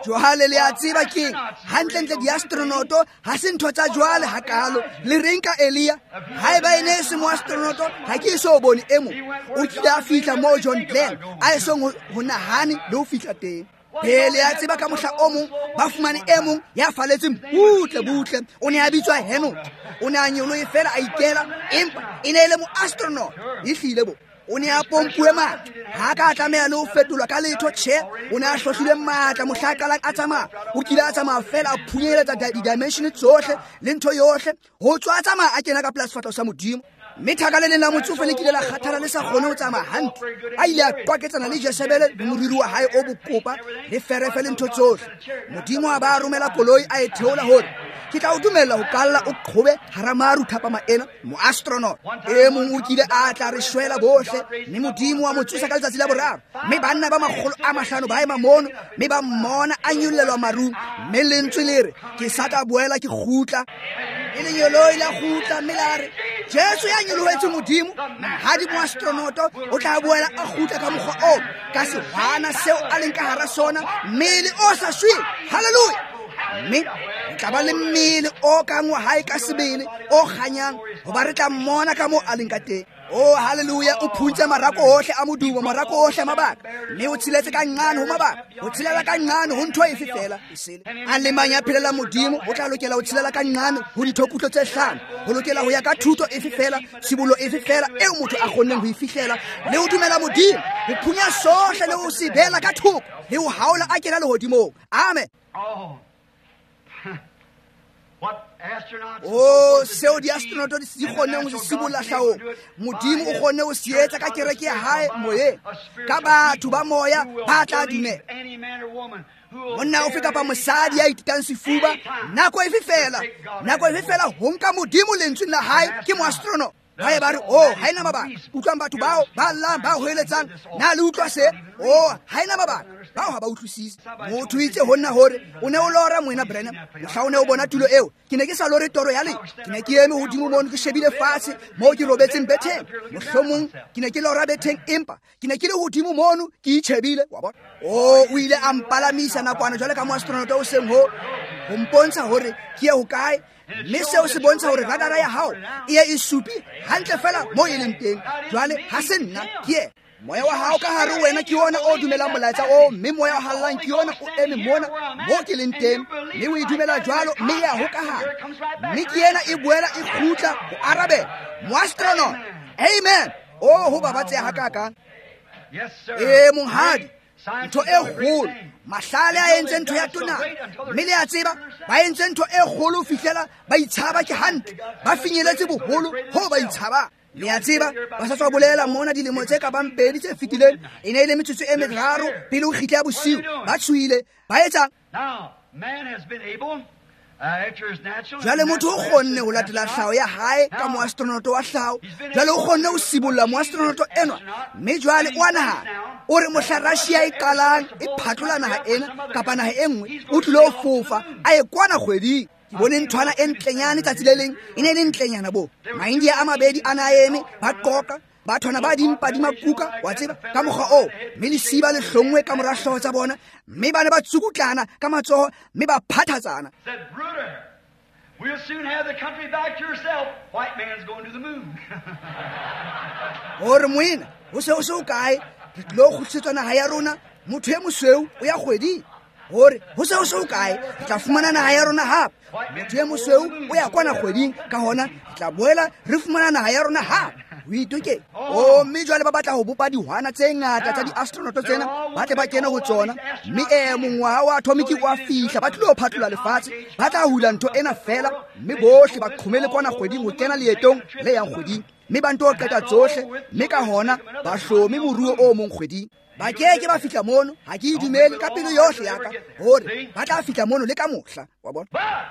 Jwale le a tseba keng? Hantlentle diastronoto ha se ntho tsa jwale hakalo. Le reng ka Elia? Haeba e ne e se moastronoto, ha ke eso bone e mong. O kile a fihla moo John Glenn a esong ho nahane le ho fihla teng. Pele a tseba ka mohla o mong, ba fumane e mong ya faletseng butle butle. O ne a bitswa Henoch. O ne a nyolohe fela a ikela, empa e ne e le moastronaut. Ehlile bo. O ne a pompuwe matla. Ha ka tlameha le ho fetolwa ka letho, tjhe. O ne a hlohlile matla mohla a qalang a tsamaya. O kile a tsamaya fela a phunyeletsa di-dimension tsohle le ntho yohle. Ho tswa a tsamaya a kena ka pela sefahleho sa Modimo. Mme thaka le leng la motsofe le kile la kgathala le sa kgone ho tsamaya hantle. A ile a qwaketsana le Jesebele le moriri wa hae o bokopa le ferefe le ntho tsohle. Modimo a ba romela koloi a e theola hore ke tla o dumella ho kalla o qhobe hara maru thapama ena, moastronaut. E mong o kile a tla re shwela bohle, mme Modimo wa mo tsosa ka letsatsi la boraro. Mme banna ba makgolo a mahlano ba ema mono, mme ba mmona a nyollelwa marung. Mme lentswe le re, ke sa tla boela ke kgutla. E lenyoloi la kgutla, mme la re, Jesu ya nyolohetse Modimo, monghadi moastronaut o tla boela a kgutla ka mokgwa oo, ka sehwana seo a leng ka hara sona, mmele o sa shweng. Hallelujah. Mme re tla ba le mmele o kang wa hae ka sebele, o kganyang, hoba re tla mmona ka moo a leng ka teng. Oh, hallelujah. O phuntse marako ohle a modumo, marako ohle a mabaka. Mme o tsheletse ka nqane ho mabaka, o tshelela ka nqane ho ntho efe fela esele. A le mang ya phelela Modimo o tla lokela ho tshelela ka nqane ho dithokutlo tse hlano, ho lokela ho ya ka thuto efe fela, tshibollo efe fela eo motho a kgonneng ho e fihlela, le ho dumela Modimo, ho phunya sohle le ho se beela ka thoko, le ho haola a kena lehodimong. Amen. Oh. Oh, seo diastronoto di kgonneng ho se sibolla hlahong, Modimo o kgonne ho se etsa ka kereke ya hae moyeng, ka batho ba moya ba tla dumela. Monna ofe kapa mosadi ya ithutang sefuba, nako efe fela, nako efe fela ho nka Modimo lentsweng la hae ke moastronaut. Ba ye ba re, oh, ha ena mabaka. Utlwang batho bao ba llang, ba hoeletsang, na le utlwa se? Oh, ha ena mabaka. Bao ha ba utlwisise. Motho itse ho nna hore o ne o lora moena Branham, mohla o ne o bona tulo eo. Ke ne ke sa lore toro ya le. Ke ne ke eme hodimo mono, ke shebile fatshe moo ke robetseng betheng. Mohlomong ke ne ke lora betheng, empa ke ne ke le hodimo mono, ke itjhebile, wa bona. Oh, o ile a mpalamisa nakwana jwale ka moastronaut o seng ho ho mpontsha hore ke ye hokae. Mme seo se bontsha hore radara ya hao e ye e supi hantle fela mo e leng teng. Jwale ha se nna, ke yena. Moya wa hao ka hare wena ke ona o dumelang molaetsa oo, mme moya o hallang ke ona o eme mona mo ke leng teng, mme o e dumela jwalo, mme ya hokahana. Mme ke yena e boela e kgutla ho arabela. Moastronaut. Amen. Oh, ho babatseha hakakang. E monghadi, ntho e kgolo. Mahlale a entse ntho ya tona, mme le a tseba ba entse ntho e kgolo ho fihlela ba itshaba ke hantle, ba finyeletse boholo ho ba itshaba. Le a tseba ba sa tswa bolela mona dilemo tse ka bang pedi tse fetileng, e ne e le metsotso e meraro pele ho kgitla ya bosiu, ba tshohile. Ba etsang? Jwale motho o kgonne ho latela tlhaho ya hae ka moastronaut wa tlhaho. Jwale o kgonne ho sibolla moastronaut enwa, mme jwale o a nahana o re mohla Russia e qalang e phatlola naha ena kapa naha e nngwe, o tlilo ho fofa a ye kwana kgweding. Ke bone nthwana e ntlenyane tsatsi le leng, e ne e le ntlenyana bo. Maindia a mabedi a na eme ba qoqa, bathwana ba dimpa di makuka, wa tseba, ka mokgwa oo, mme lesiba le hlonngwe ka mora hlooho tsa bona, mme ba ne ba tsukutlana ka matsoho, mme ba phathatsana. We'll soon have the country back to yourself. White man's going to the moon. Hore moena, ho se ho se ho kae, re tlilo kgutlisetswa naha ya rona, motho e mosweu o ya kgweding. Hore ho se ho se ho kae, re tla fumana naha ya rona hape. Motho e mosweu o ya kwana kgweding, ka hona re tla boela re fumana naha ya rona hape. O itoke. Oh, mme jwale ba batla ho bopa dihwana tse ngata tsa di-astronaut tsena, ba tle ba kene ho tsona. Mme eh mongwaha wa atomic wa fihla, ba tlilo phatlola lefatshe, ba tla hula ntho ena fela, mme bohle ba qhomele kwana kgweding ho kena leetong le yang kgweding. Mme ba nto qeta tsohle, mme ka hona ba hlome moruo o mong kgweding. Ba keke ba fihla mono, ha ke e dumele ka pelo yohle ya ka hore ba tla fihla mono le ka mohla, wa bona. But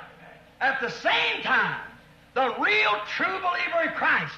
at the same time, the real true believer in Christ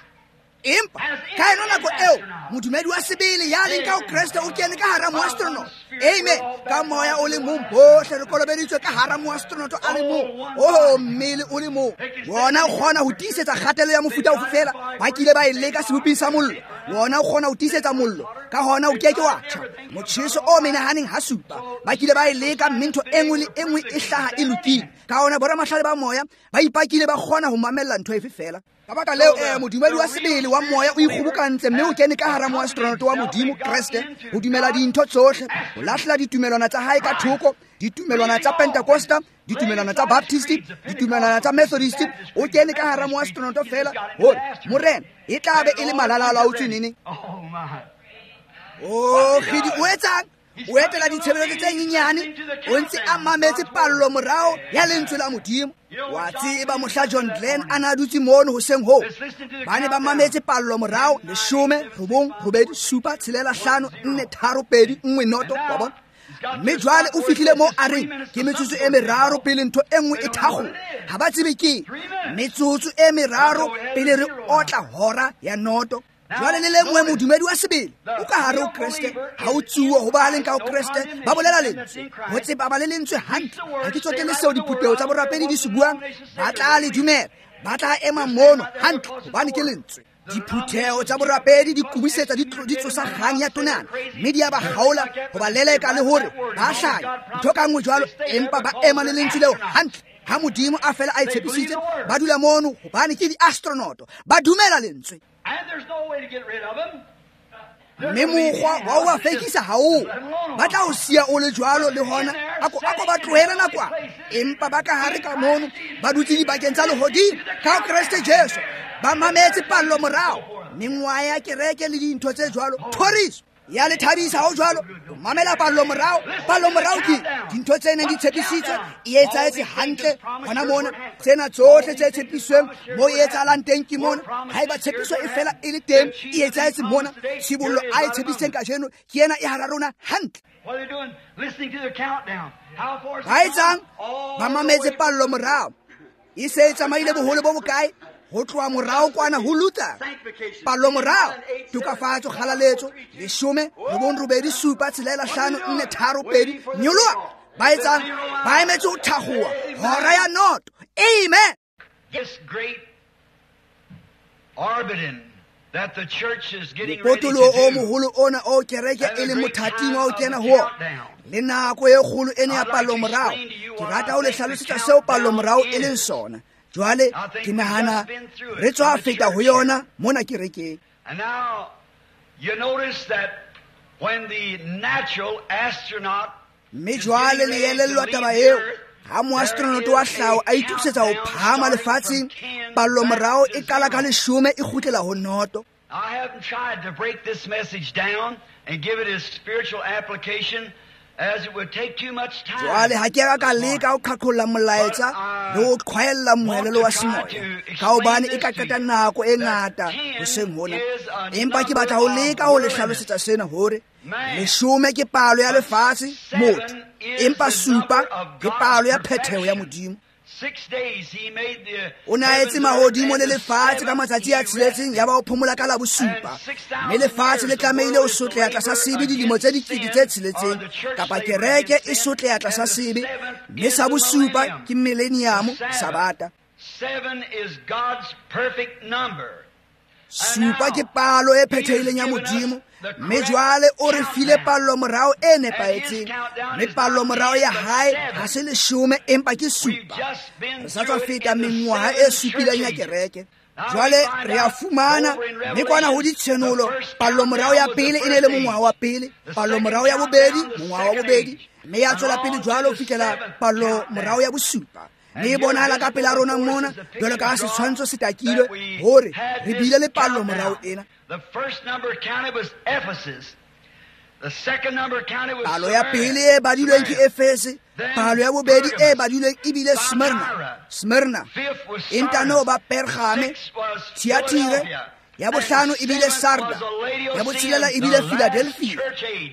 Empa ka eno nako eo modumedi wa sebele ya leng ka ho Kreste o kene ka hara moastronaut. Amen. Ka moya o le mong bohle re kolobeditswe ka hara moastronaut a le mong. Oh, mmele o le mong. Wona o kgona ho tiisetsa kgatello ya mofuta ofe fela. Ba kile ba e leka seboping sa mollo. Wona o kgona ho tiisetsa mollo. Ka hona o keke wa tjha. Motjheso o menahaneng ha supa. Ba kile ba e leka, mme ntho e nngwe le e nngwe e hlaha e lokile. Ka hona boramahlale ba moya ba ipakile ba kgona ho mamella ntho efe fela. Ka baka leo eh modumedi wa sebele wa moya o ikgobokantse, mme o kene ka hara moastronaut wa Modimo Kreste, ho dumela dintho tsohle, ho lahlela ditumelwana tsa hae ka thoko, ditumelwana tsa Pentecosta, ditumelwana tsa Baptist, ditumelwana tsa Methodist, o kene ka hara moastronaut fela hore Morena e tla be e le malalala a utswe nene. Oh, kgidi o etsang? O etela ditshebeletso tse nyenyane, o ntse a mametse pallo morao ya lentswe la Modimo. Wa tseba mohla John Glenn a na dutse mono hoseng hoo, ba ne ba mametse pallo morao leshome, robong, robedi, supa, tshelela, hlano, nne, tharo, pedi, nngwe, noto, wa bona. Mme jwale o fihlile moo a reng ke metsotso e meraro pele ntho e nngwe e thakgola. Ha ba tsebe ke metsotso e meraro pele re otla hora ya noto. Jwale le lengwe modumedi wa sebele o ka hare ho Kreste, ha o tsuwe ho ba leng ka ho Kreste, ba bolela lentswe, ho tseba ba le lentswe hantle. Ha ke tsotelle seo diphutheho tsa borapedi di se buang, ba tla le dumela, ba tla ema mono hantle hobane ke lentswe. Diphutheho tsa borapedi di kubisetsa di tsosa kgang ya tonana, mme di a ba kgaola ho ba leleka le hore ba hlanya ntho ka nngwe jwalo, empa ba ema le lentswe leo hantle. Ha Modimo a fela a e tshepisitse, ba dula mono hobane ke di-astronaut, ba dumela lentswe. Mme mokgwa wa ho ba fekisa ha o, ba tla o siya o le jwalo le hona, ako ako ba tlohele nakwana, empa ba ka hare ka mono ba dutse dibakeng tsa lehodimo ka Kreste Jesu, ba mametse pallo morao, mengwaha ya kereke le dintho tse jwalo. Thoriso ya le thabisa ha o jwalo, o mamela pallo morao. Pallo morao ke dintho tse neng di tshepisitswe, e etsahetse hantle hona mona. Tsena tsohle tse tshepisweng mo e etsahalang teng ke mona. Haeba tshepiso e fela e le teng, e etsahetse mona. Tshibollo a e tshepisitseng kajeno ke ena e hara rona hantle. Ba etsang? Ba mametse pallo morao. E se e tsamaile boholo bo bokae? Ho tloha morao kwana ho Luther, pallo morao, tokafatso, kgalaletso, leshome, robong, robedi, supa, tshelela, hlano, nne, tharo, pedi, nyoloha. Ba etsang? Ba emetse ho thakgoha hora ya noto. Amen. This great orbiting that the church is getting ready to Mopotoloho o do. moholo ona o kereke e leng mothating wa ho kena ho ona, le nako e kgolo ena ya pallo morao. Ke rata ho le hlalosetsa seo pallo morao e leng sona. Jwale ke nahana re tswa feta ho yona mona kerekeng. And now you notice that when the natural astronaut Mme jwale le elellwa taba eo, ha moastronaut wa hlaho a itokisetsa ho phahama lefatsheng, pallo morao e qala ka leshome e kgutlela ho noto. I haven't tried to break this message down and give it its spiritual application, as it would take too much time. Jwale ha ke a ka leka ho qhaqholla molaetsa le ho qhwaella moelelo wa semoya, ka hobane e ka qeta nako e ngata hoseng hona. Empa ke batla ho leka ho le hlalosetsa sena hore leshome ke palo ya lefatshe, motho, empa supa ke palo ya phetheho ya Modimo. Six days he made the O ne a etse mahodimo le lefatshe ka matsatsi a tsheletseng, ya ba o phomola ka la bosupa. Mme lefatshe le tlamehile ho sotleha tlasa sebe dilemo tse dikete tse tsheletseng, kapa kereke e sotleha tlasa sebe. Mme sa bosupa ke millennium, Sabata. Seven is God's perfect number. Supa ke palo e phethehileng ya Modimo, mme jwale o re file pallo morao e nepahetseng. Mme pallo morao ya hae ha se leshome, empa ke supa. Re sa tswa feta mengwaha e supileng ya kereke. Jwale re a fumana, mme kwana ho ditshenolo, pallo morao ya pele e ne le mongwaha wa pele, pallo morao ya bobedi, mongwaha wa bobedi, mme ya tswela pele jwalo ho fihlela pallo morao ya bosupa. Mme e bonahala ka pela rona mona, jwalo ka ha setshwantsho se takilwe, hore re bile le pallo morao ena. The first number counted was Ephesus. The second number counted was Palo ya pele e badilweng ke Efese, palo ya bobedi e badilweng e bile Smyrna. Smyrna. E ntano ba Pergame, Thyatire, ya bohlano e bile Sarda, ya botshelela e bile Philadelphia,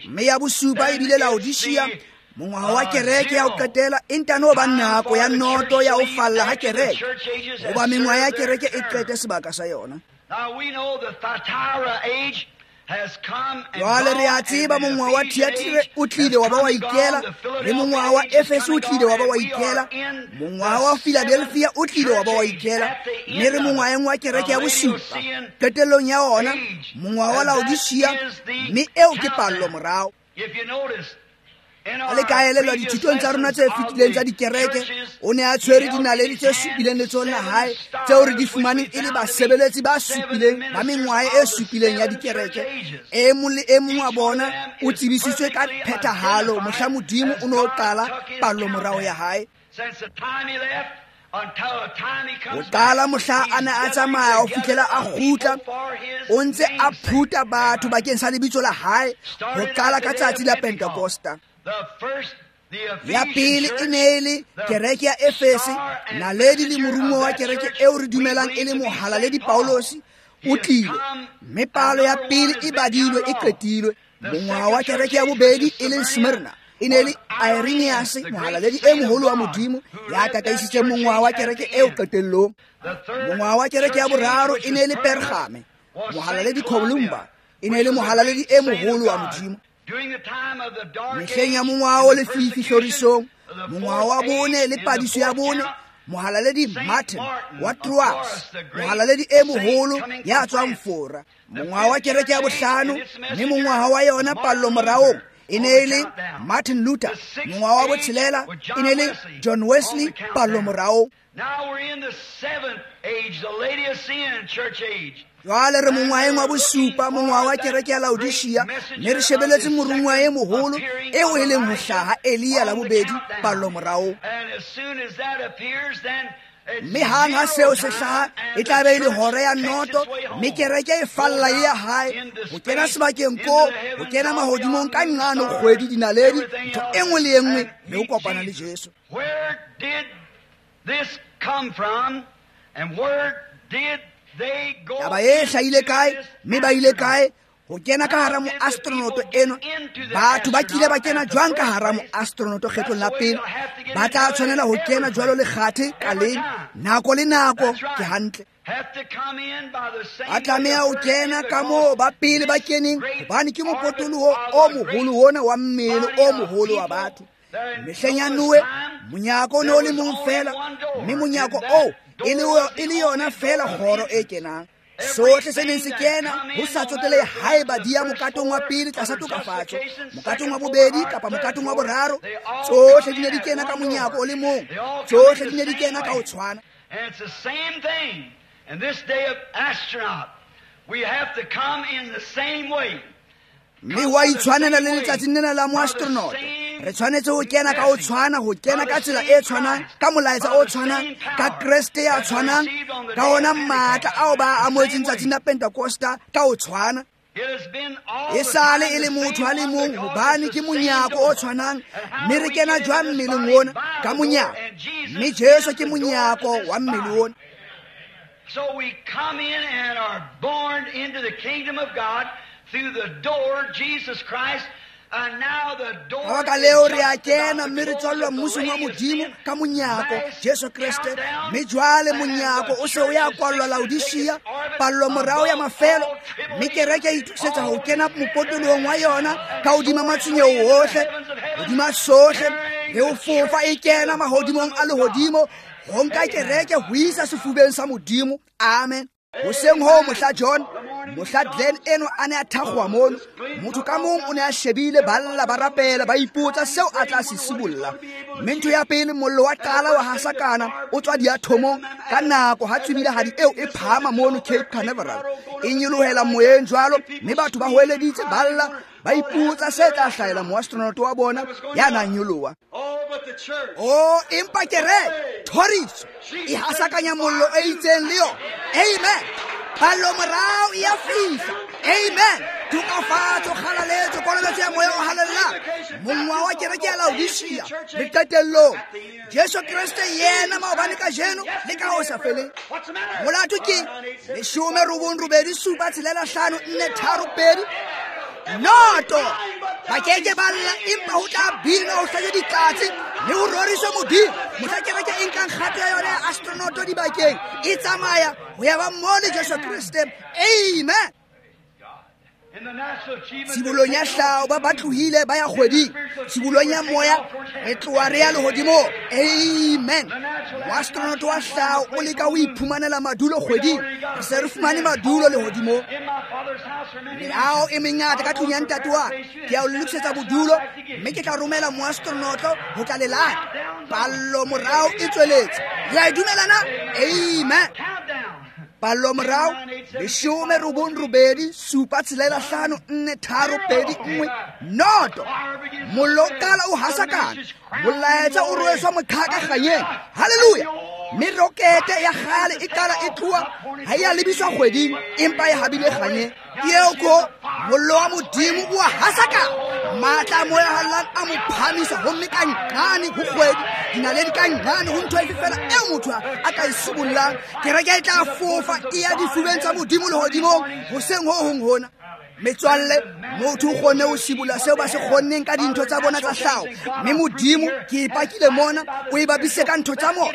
mme ya bosupa e bile Laodicea. Mongwaha wa kereke ya ho qetela e ntano ba nako ya noto ya ho falla ha kereke, hoba mengwaha ya kereke e qete sebaka sa yona. Now we know the Thyatira age has come and Jwale re a gone, and tseba the mongwaha wa Ephesian Thyatire age o tlile has wa ba wa come and ikela, gone, the le mongwaha wa Philadelphia age has Efese come o and tlile wa ba gone, wa and we ikela, are in mongwaha the wa Philadelphia o tlile wa ba wa seventh ikela, church age at the mme re end of mongwaheng wa kereke ya the bosupa. Laodicean Qetellong ya ona, age, mongwaha wa and that Laodicea, is the mme eo ke pallo countdown. morao. If you notice, in Ha le ka our elellwa previous dithutong tsa rona tse lessons of fetileng tsa the dikereke, churches, o ne a tshwere he held dinaledi in tse his supileng hand letsohong la seven hae, tseo re di stars, which fumaneng we e le found to be basebeletsi ba seven supileng ba ministers mengwaha e of the supileng ya seven dikereke. church ages. E mong le e mong wa Each one of bona them o is tsebisitswe ka perfectly phethahalo identified mohla Modimo as o no God qala took his pallo morao ya countdown. hae. Since the time he left until the time he Ho comes qala back, mohla he's a ne a gathering tsamaya ho together fihlela a a people kgutla, for his o ntse a name's sake. phuta batho bakeng sa lebitso la hae, ho Started at qala the ka day tsatsi of la Pentecost. Pentekosta. The first, the Ya Ephesian pele e church, ne e le the kereke ya Efese, star and naledi le messenger of morumo wa that kereke church eo re we dumelang e believe le to be mohalaledi Saint Paul. Paulosi, He o has tlile. come, Mme and palo ya number one pele has e been badilwe, counted e off. qetilwe. The Mongwaha wa second kereke church ya age, which bobedi is e leng Smyrna, Smyrna, e ne e le was Irenaeus, Irenaeus, the great mohalaledi e saint of moholo wa God, Modimo, who ya led that tataisitseng church mongwaha wa age at kereke the eo end. qetellong. The third Mongwaha wa kereke ya church age, boraro which e ne was e le Pergamos, Pergame, was Saint mohalaledi Columbia, Columba, e ne e which le was a mohalaledi great e saint of moholo wa God. Modimo. During the time of the dark Mehleng ya age mongwaha o and the lefifi persecution, hlorisong, the mongwaha wa fourth bone age le and the padiso ya fourth bone, count, mohalaledi Saint Martin Martin wa of Troas, Tours, the great mohalaledi e saint moholo coming ya from tswang France. Fora. The Mongwaha wa fifth kereke ya church age bohlano, and its mme messenger mongwaha wa yona was pallo Martin moraong Luther e on ne the e le countdown. Martin Luther. The sixth Mongwaha wa age botshelela was e John ne e le Wesley John on Wesley the pallo countdown. moraong. Now we're in the seventh age, the Laodicean church age. Jwale re And mongwaheng wa we're looking bosupa, mongwaha for wa that kereke ya great Laodicea, mme re messenger of shebeletse the morongwa e second moholo appearing eo of e leng ho Elijah hlaha Elia la on the bobedi pallo countdown. moraong. And as soon as that appears, then it's Mme hang ha zero seo se time hlaha, and e the tla be e le church hora ya takes noto, its way mme home, kereke e falla goes e ya out hae, into ho kena space, sebakeng into koo, the ho heavens, kena all mahodimong beyond ka the nqane stars, kgwedi, dinaledi, everything ntho else, e nngwe le e nngwe, and le ho meet kopana le Jesus. Jesu. Where did this come from, and where did they go Taba e hlahile into kae, this mme ba ile astronaut? kae, Ho kena ka hara moastronoto eno, batho ba kile ba kena jwang ka hara moastronoto kgetlong la pele, ba tla tshwanela ho kena jwalo lekgathe ka leng, nako le nako. Ke hantle. Ba tlameha ho kena ka moo ba pele ba keneng, hobane ke mopotoloho o moholo ona wa mmele o moholo wa batho. Mehleng ya Noe, monyako o ne o le mong feela, mme monyako oo e le yona feela kgoro e kenang. Sohle se neng se kena ho sa tsotelehe haeba di ya mokatong wa pele tlasa tokafatso, mokatong wa bobedi kapa mokatong wa boraro, tsohle di ne di kena ka monyako o le mong, tsohle di ne di kena ka ho tshwana. Mme wa itshwanela le letsatsing lena la moastronoto. Re tshwanetse ho kena ka ho tshwana, ho kena ka tsela e tshwanang, ka molaetsa o tshwanang, ka Kreste ya tshwanang, ka ona matla ao ba a amohetseng tsatsing la Pentekosta ka ho tshwana. E sale e le motho a le mong, hobane ke monyako o tshwanang, mme re kena jwang mmeleng ona? Ka monyako. Mme Jesu ke monyako wa mmele ona. So we come in and are born into the kingdom of God through the door, Jesus Christ. Ka baka leo re a kena mme re tswallwa mmusong wa Modimo ka monyako Jesu Kreste. Mme jwale monyako o se o ya kwallwa Laodicea, pallo morao ya mafelo, mme kereke e itokisetsa ho kena mopotolohong wa yona ka hodima matshwenyeho ohle, hodima sohle, le ho fofa e kena mahodimong a lehodimo, ho nka kereke ho isa sefubeng sa Modimo. Amen. Hoseng hoo mohla John, mohla Glenn eno a ne a thakgoha mono, motho ka mong o ne a shebile, ba lla, ba rapela, ba ipotsa seo a tla se sibolla. Mme ntho ya pele, mollo wa qala wa hasakana o tswa diathomong ka nako ha tswibilahadi eo e phahama mono Cape Canaveral, e nyolohela moyeng jwalo, mme batho ba hoeleditse, ba lla, ba ipotsa se tla hlahela moastronoto wa bona ya nang nyoloha. Oh, empa kereke thoriso e hasakanya mollo e itseng le yona. Amen. Pallo morao e a fihla. Amen. Tokafatso, kgalaletso, kolobetso ya moya o halalelang. Mongwa wa kereke ya Laodicea le qetellong, Jesu Kreste yena maobane, kajeno le ka ho sa feleng. Molato ke leshome robong robedi supa tshelela hlano nne tharo pedi noto. Ba keke ba lla, empa ho tla bina, ho hlaje ditlatse le ho roriswe Modimo. Mohla kereke e nkang kgato ya yona ya astronoto dibakeng, e tsamaya ho ya ba mo le Jesu Kreste. Amen. Tshibolong ya hlao ba ba tlohile ba ya kgweding, tshibolong ya moya re tloha re ya lehodimong. Amen. Moastronoto wa hlao o leka ho iphumanela madulo kgweding, re se re fumane madulo lehodimong. Meaho e mengata ka tlung ya ntate wa ka, ke ya o lokisetsa bodulo, mme ke tla romela moastronoto ho tla le lata. Pallo morao e tsweletse. Le a e dumela na? Amen. Pallo morao leshome robong robedi supa tshelela hlano nne tharo pedi nngwe noto. Mollo o qala o hasakana, molaetsa o rweswa moqhaka kganyeng. Hallelujah. Mme rokete ya kgale e qala e tloha, ha e a lebiswa kgweding, empa e habile kganyeng. Ke eo ko mollo wa Modimo o a hasakana, matla a moya hallang a mo phahamisa, homme ka nqane ho kgwedi, dinaledi ka nqane ho ntho efe feela eo motho a ka e sibollang. Kereke e tla fofa e ya difubeng tsa Modimo lehodimong hoseng ho hong hona. Metswalle, motho o kgonne ho sibolla seo ba se kgonneng ka dintho tsa bona tsa hlao, mme Modimo, ke e pakile mona, o e bapise ka ntho tsa mona.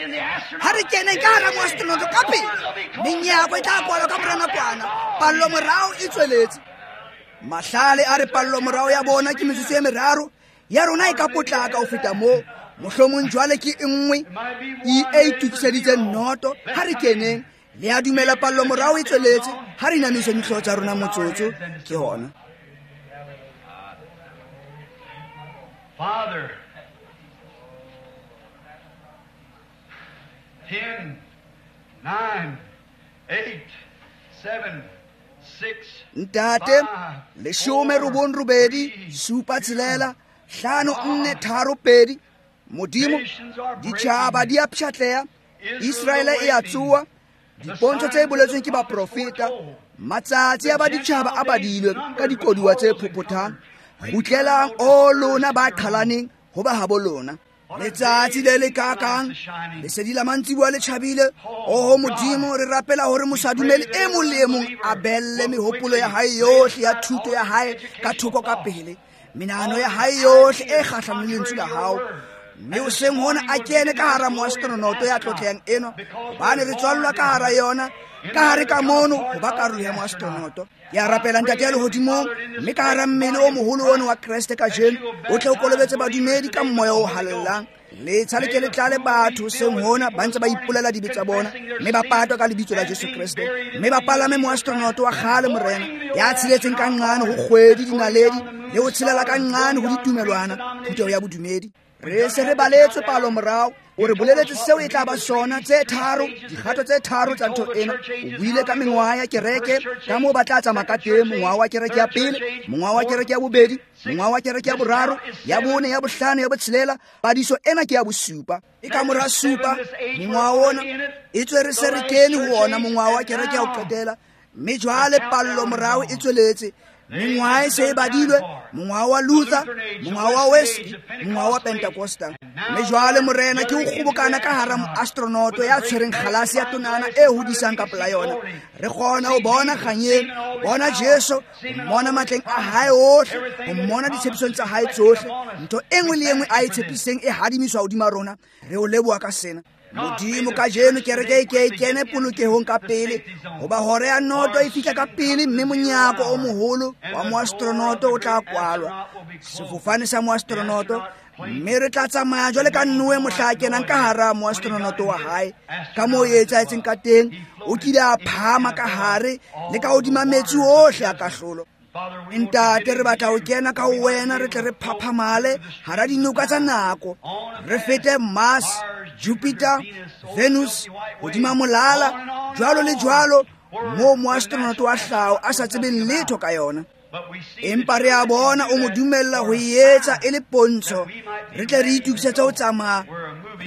Ha re keneng ka hara moastronoto ka pele, menyako e tla kwalwa ka mora nakwana. Pallo morao e tsweletse. Mahlale a re pallo morao ya bona ke metsotso e meraro, ya rona e ka potlaka ho feta moo. Mohlomong jwale ke e nngwe e itokiseditseng noto. Ha re keneng. Le a dumela pallo morao e tsweletse. Ha re inamiseng dihlooho tsa rona motsotso, ke hona. Father, ten, nine, eight, seven, six, Ntate, leshome robong robedi supa tshelela hlano nne tharo pedi. Modimo, ditjhaba di a pshatleha, Israele e a tsoha, dipontsho tse boletsweng ke baprofeta, matsatsi a ba ditjhaba a badilwe ka dikoduwa tse phophothang. Kgutlelang o lona ba qhalaneng ho ba habo lona. Letsatsi le le kakang lesedi la mantsiboa le tjhabile. Oho Modimo, re rapela hore mosadumele e mong le e mong a belle mehopolo ya hae yohle ya thuto ya hae ka thoko ka pele, menahano ya hae yohle e kgahlanong le lentswe la hao, mme hoseng hona a kene ka hara moastronoto ya tlotlehang eno, hobane re tswallwa ka hara yona, ka hare ka mono ho ba karolo ya moastronoto. Ke a rapela Ntate ya lehodimong, mme ka hara mmele o moholo ono wa Kreste kajeno, o tle o kolobetse badumedi ka moya o halalelang. Letsha le ke le tlale batho hoseng hona ba ntse ba ipolela dibe tsa bona, mme ba patwa ka lebitso la Jesu Kreste, mme ba palame moastronoto wa kgale Morena, ya tsheletseng ka nqane ho kgwedi dinaledi, le ho tshelela ka nqane ho ditumelwana, phutheho ya bodumedi. Re se re baletswe palo morao, o re boleletse seo e tla ba sona, tse tharo, dikgato tse tharo tsa ntho ena. O buile ka mengwaha ya kereke, ka moo ba tla tsamaya ka teng, mongwaha wa kereke ya pele, mongwaha wa kereke ya bobedi, mongwaha wa kereke ya boraro, ya bone, ya bohlano, ya botshelela. Padiso ena ke ya bosupa. E ka mora supa mongwaha ona, e tswe re se re kene ho ona mongwaha wa kereke ya ho qetela, mme jwale pallo morao e tsweletse. Mengwaha e se e badilwe, mongwaha wa Luther, mongwaha wa Wesley, mongwaha wa Pentecostal. Mme jwale Morena ke o kgobokana ka hara moastronoto ya tshwereng kgalase ya tonana e hodisang ka pela yona. Re kgona ho bona kganyeng, bona Jesu, ho mmona matleng a hae ohle, ho mmona ditshepisong tsa hae tsohle. Ntho e nngwe le e nngwe a e tshepiseng e hadimiswa hodima rona. Re o leboha ka sena. Modimo, kajeno kereke e ke e kene polokehong ka pele, hoba hora ya noto e fihla ka pele, mme monyako o moholo wa moastronoto o tla kwalwa, sefofane sa moastronoto, mme re tla tsamaya jwale ka Noe mohla a kenang ka hara moastronoto wa hae. Ka moo e etsahetseng ka teng, o kile a phahama ka hare le ka hodima metsi ohle a kahlolo. Ntate, re batla ho kena ka ho wena, re tle re phaphamale hara dinoka tsa nako, re fete Mars, Jupiter, Venus, hodima molala, jwalo le jwalo, moo moastronoto wa hlaho a sa tsebeng letho ka yona. Empa re a bona o mo dumella ho e etsa e le pontsho, re tle re itokisetse ho tsamaya,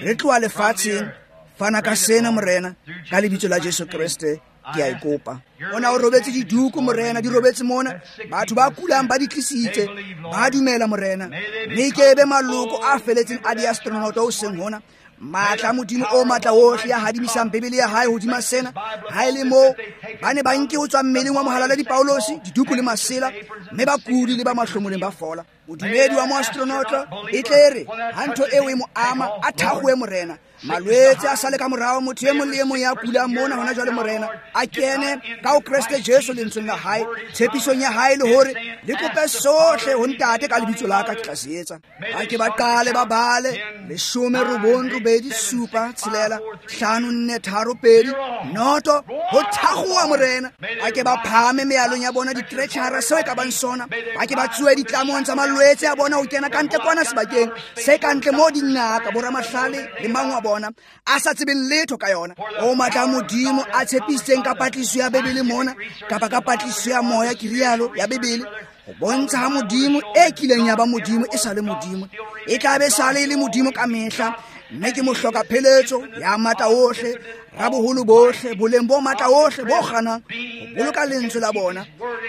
re tloha lefatsheng. Fana ka sena Morena, ka lebitso la Jesu Kreste, ke a e kopa. Ona o robetse diduku Morena, di robetse mona, batho ba kulang ba di tlisitse, ba dumela Morena, mme ke be maloko a feletseng a diastronoto hoseng hona. Matla Modimo o matla ohle ya hadimisang Bibele ya hae hodima sena, ha e le moo ba ne ba nke ho tswa mmeleng wa mohalaledi Paulosi diduku le masela, mme bakudi le ba mahlomoleng ba fola. Modumedi wa moastronoto e tle re ha ntho eo e mo ama a thagoe Morena, malwetse a sale ka morao, motho e mong le e mong ya kulang mona hona jwale Morena a kene ka ho Kreste Jesu lentsweng la hae, tshepisong ya hae, le hore le kope sohle ho Ntate ka lebitso la ka, ke tla se etsa. Ba ke ba qale ba bale leshome robong robedi supa tshelela hlano nne tharo pedi noto, ho thagoa Morena. Ba ke ba phahame mealong ya bona ditretjhara seo e ka bang sona, ba ke ba tsuwe ditlamong tsa malwetse a bona ho kena ka ntle kwana sebakeng se ka ntle moo dingaka boramahlale le mang wa bona a sa tsebeng letho ka yona. O matla Modimo a tshepisitseng ka patlisiso ya Bibele mona, kapa ka patlisiso ya moya, ke rialo, ya Bibele, ho bontsha ha Modimo e kileng ya ba Modimo e sa le Modimo, e tla be sale e le Modimo ka mehla, mme ke mohloka pheletso ya matla ohle, raboholo bohle, boleng bo matla ohle bo kganang ho boloka lentswe la bona,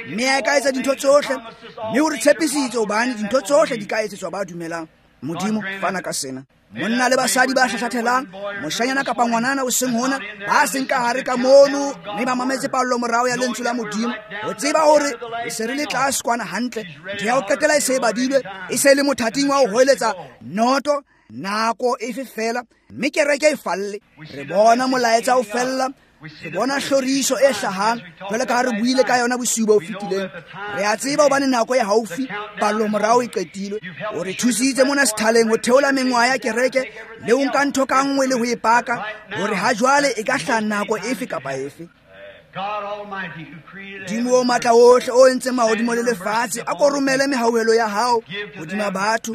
mme a ka etsa dintho tsohle, mme o re tshepisitse hobane dintho tsohle di ka etsetswa ba dumelang. Modimo, fana ka sena. Monna le basadi ba hlahlathelang, moshanyana kapa ngwanana o seng hona, ba seng ka hare ka mono, mme ba mametse pallo morao ya lentswe la Modimo, ho tseba hore e se re le tlase kwana hantle, ntho ya ho qetela e se e badilwe, e se e le mothating wa ho hoeletsa noto nako efe fela, mme kereke e falle. Re bona molaetsa o fella, re bona hloriso e hlahang, jwale ka ha re buile ka yona bosiu bo fetileng. Re a tseba hobane nako e haufi, pallo morao e qetilwe. O re thusitse mona sethaleng ho theola mengwaha ya kereke le ho nka ntho ka nngwe le ho e paka, hore ha jwale e ka hlaha nako efe kapa efe. Modimo o matla ohle o entseng mahodimo le lefatshe, a ko romele mehauhelo ya hao hodima batho,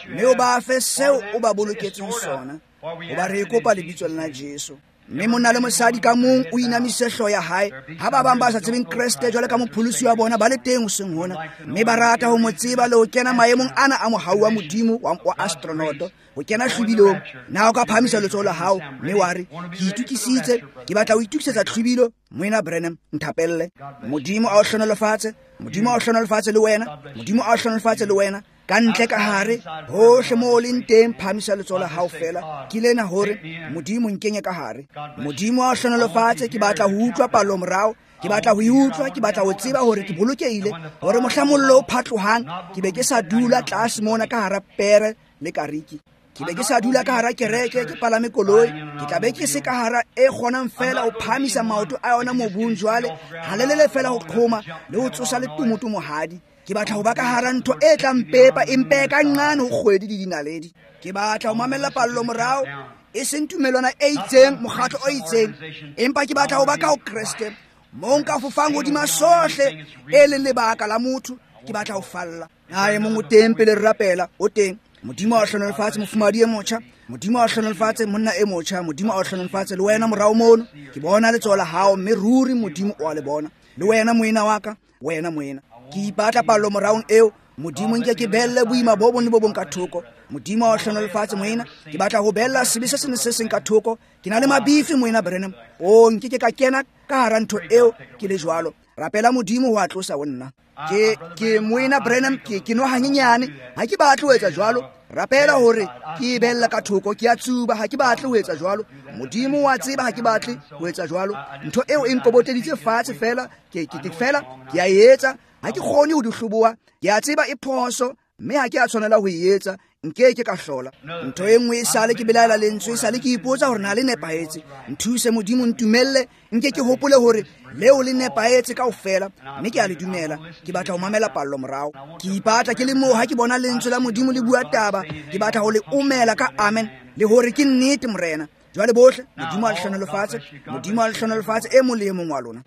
mme o ba fe seo o ba boloketseng sona, hoba re e kopa lebitsong la Jesu. Mme monna le mosadi ka mong o inamise hlooho ya hae. Ha ba bang ba sa tsebeng Kreste jwale ka mopholosi wa bona ba le teng hoseng hona, mme ba rata ho mo tseba le ho kena maemong ana a mohau wa Modimo wa, wa astronoto, ho kena hlwibilong. Na o ka phahamisa letsoho la hao mme wa re, ke itokisitse, ke batla ho itokisetsa hlwibilo, Moena Branham, nthapelle. Modimo a o hlohonolofatse, Modimo a o hlohonolofatse le wena, Modimo a o hlohonolofatse le wena. Ka ntle ka hare, hohle moo o leng teng, phahamisa letsoho la hao feela. Ke lena hore Modimo nkenye ka hare. Modimo a o hlohonolofatse. Ke batla ho utlwa palo morao. Ke batla ho e utlwa, ke batla ho tseba hore ke bolokehile, hore mohla mollo o phatlohang ke be ke sa dula tlase mona ka hara pere le kariki. Ke be ke sa dula ka hara kereke, ke palame koloi. Ke tla be ke se ka hara e kgonang feela ho phahamisa maoto a yona mobung jwale, halelele feela ho qhoma le ho tsosa le tumotumohadi. Ke batla ho ba ka hara ntho e tla mpepa, e mpehe ka nqane ho kgwedi le dinaledi. Ke batla ho mamella pallo morao, e seng tumelwana e itseng, mokgatlo o itseng, empa ke batla ho ba ka ho Kreste, moo nka fofang hodima sohle e leng lebaka la motho. Ke batla ho falla. Na e mong o teng pele re rapela? O teng. Modimo a o hlohonolofatse, mofumahadi e motjha. Modimo a o hlohonolofatse, monna e motjha. Modimo a o hlohonolofatse le wena morao mono. Ke bona letsoho la hao, mme ruri Modimo o a le bona. Le wena moena wa ka, wena moena. Ke ipatla pallo moraong eo. Modimo nke ke belle boima bo bong le bo bong ka thoko. Modimo a o hlohonolofatse moena. Ke batla ho bella sebe se seng le se seng ka thoko. Ke na le mabifi moena Branham. O nke ke ka kena ka hara ntho eo ke le jwalo. Rapela Modimo ho a tlosa ho nna. Ke ke moena Branham, ke ke nwa hanyenyane, ha ke batle ho etsa jwalo. Rapela hore ke e bella ka thoko, ke a tsuba, ha ke batle ho etsa jwalo. Modimo wa tseba ha ke batle ho etsa jwalo. Ntho eo e nkoboteditse fatshe feela, ke ke ke fela ke a e etsa. Ha ke kgone ho di hloboha. Ke a tseba e phoso, mme ha ke a tshwanela ho e etsa. Nke ke ka hlola. Ntho e nngwe e sale ke belaela lentswe, e sale ke ipotsa hore na le nepahetse. Nthuse Modimo, ntumelle, nke ke hopole hore leo le nepahetse kaofela, mme ke a le dumela. Ke batla ho mamela pallo morao. Ke ipatla ke le moo ha ke bona lentswe la Modimo le bua taba, ke batla ho le omela ka amen, le hore ke nnete Morena. Jwale bohle, Modimo a le hlohonolofatse, Modimo a le hlohonolofatse e mong le e mong wa lona.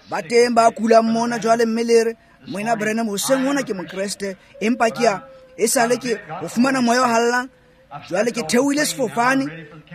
Ba teng ba kulang mona jwale, mme le re, Moena Branham, hoseng hona ke Mokreste, empa ke a e sale ke ho fumana moya o hallang. Jwale ke theohile sefofane,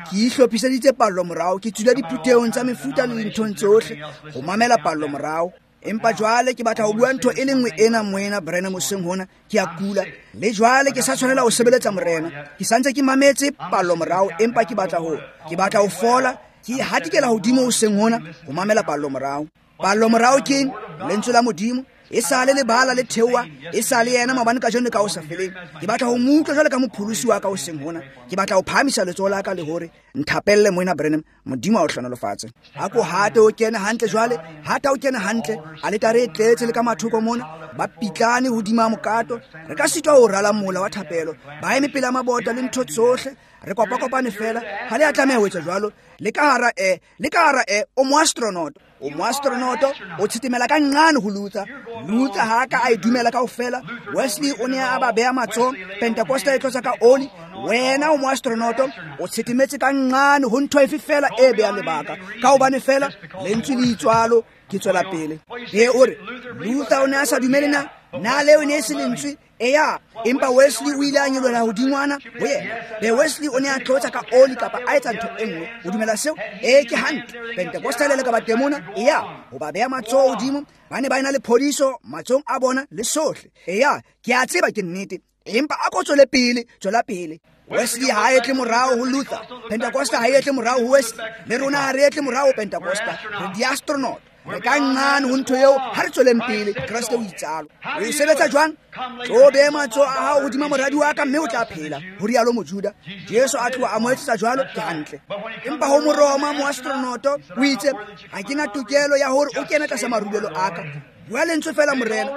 ke ihlophiseditse pallo morao, ke tswile diphuthehong tsa mefuta le dinthong tsohle ho mamela pallo morao. Empa jwale ke batla ho bua ntho e le nngwe ena, Moena Branham, hoseng hona ke a kula, le jwale ke sa tshwanela ho sebeletsa Morena. Ke santse ke mametse pallo morao, empa ke batla ho ke batla ho fola. Ke hatikela hodimo hoseng hona ho mamela pallo morao. Pallo morao ke lentswe la Modimo. E sale le bala le theoha, e sale yena maobane kajeno le ka ho sa feleng. Ke batla ho mo utlwa jwale ka mopholosi wa ka hoseng hona. Ke batla ho phahamisa letsoho la ka le hore nthapelle Moena Branham, Modimo a o hlohonolofatse. Ha ko hate o kene hantle jwale, hata o kene hantle, aletare e tletse le ka mathoko mona, ba pitlane hodima mokato. Re ka sitwa ho rala mola wa thapelo, ba eme pela mabota le ntho tsohle. Re kopakopane fela, ha le a tlameha ho etsa jwalo. Le ka hara e, le ka hara e, o mo astronaut. O mo astronaut, o tshitemela ka nqane ho Luther. Luther ha ka a e dumela kaofela. Wesley o ne a ba beha matsoho, Pentecosta e tlotsa ka oli. Wena o mo astronaut, o tshitemetse ka nqane ho ntho efe fela e behang lebaka. Ka hobane fela lentswe le itswalo, ke tswela pele. E o re, Luther o ne a sa dumele na? Na leo e ne e se lentswe? Eya, empa Wesley o ile a nyolohela hodingwana ho yena. Be Wesley o ne a tlotsa ka oli kapa a etsa ntho e nngwe. O dumela seo? Ee, ke hantle. Pentecosta le ka batemona, eya, ho ba beha matsoho hodimo, ba ne ba ena le phodiso matsohong a bona le sohle. Eya, ke a tseba ke nnete, empa a ko tswele pele, tswela pele. Wesley ha e tle morao ho Luther, Pentecosta ha e tle morao ho Wesley, le rona ha re tle morao ho Pentecosta. Re di-astronaut. Re ka nqane ho ntho eo, ha re tsweleng pele. Kreste o itsalo. O e sebetsa jwang? Tlo beha matsoho a hao hodima moradi wa ka, mme o tla phela, ho rialo Mojuda. Jesu a tloha a mo etsetsa jwalo, ke hantle. Empa ho Moroma, moastronoto, o itse, ha ke na tokelo ya hore o kene tlasa marulelo a ka. Bua lentswe fela Morena,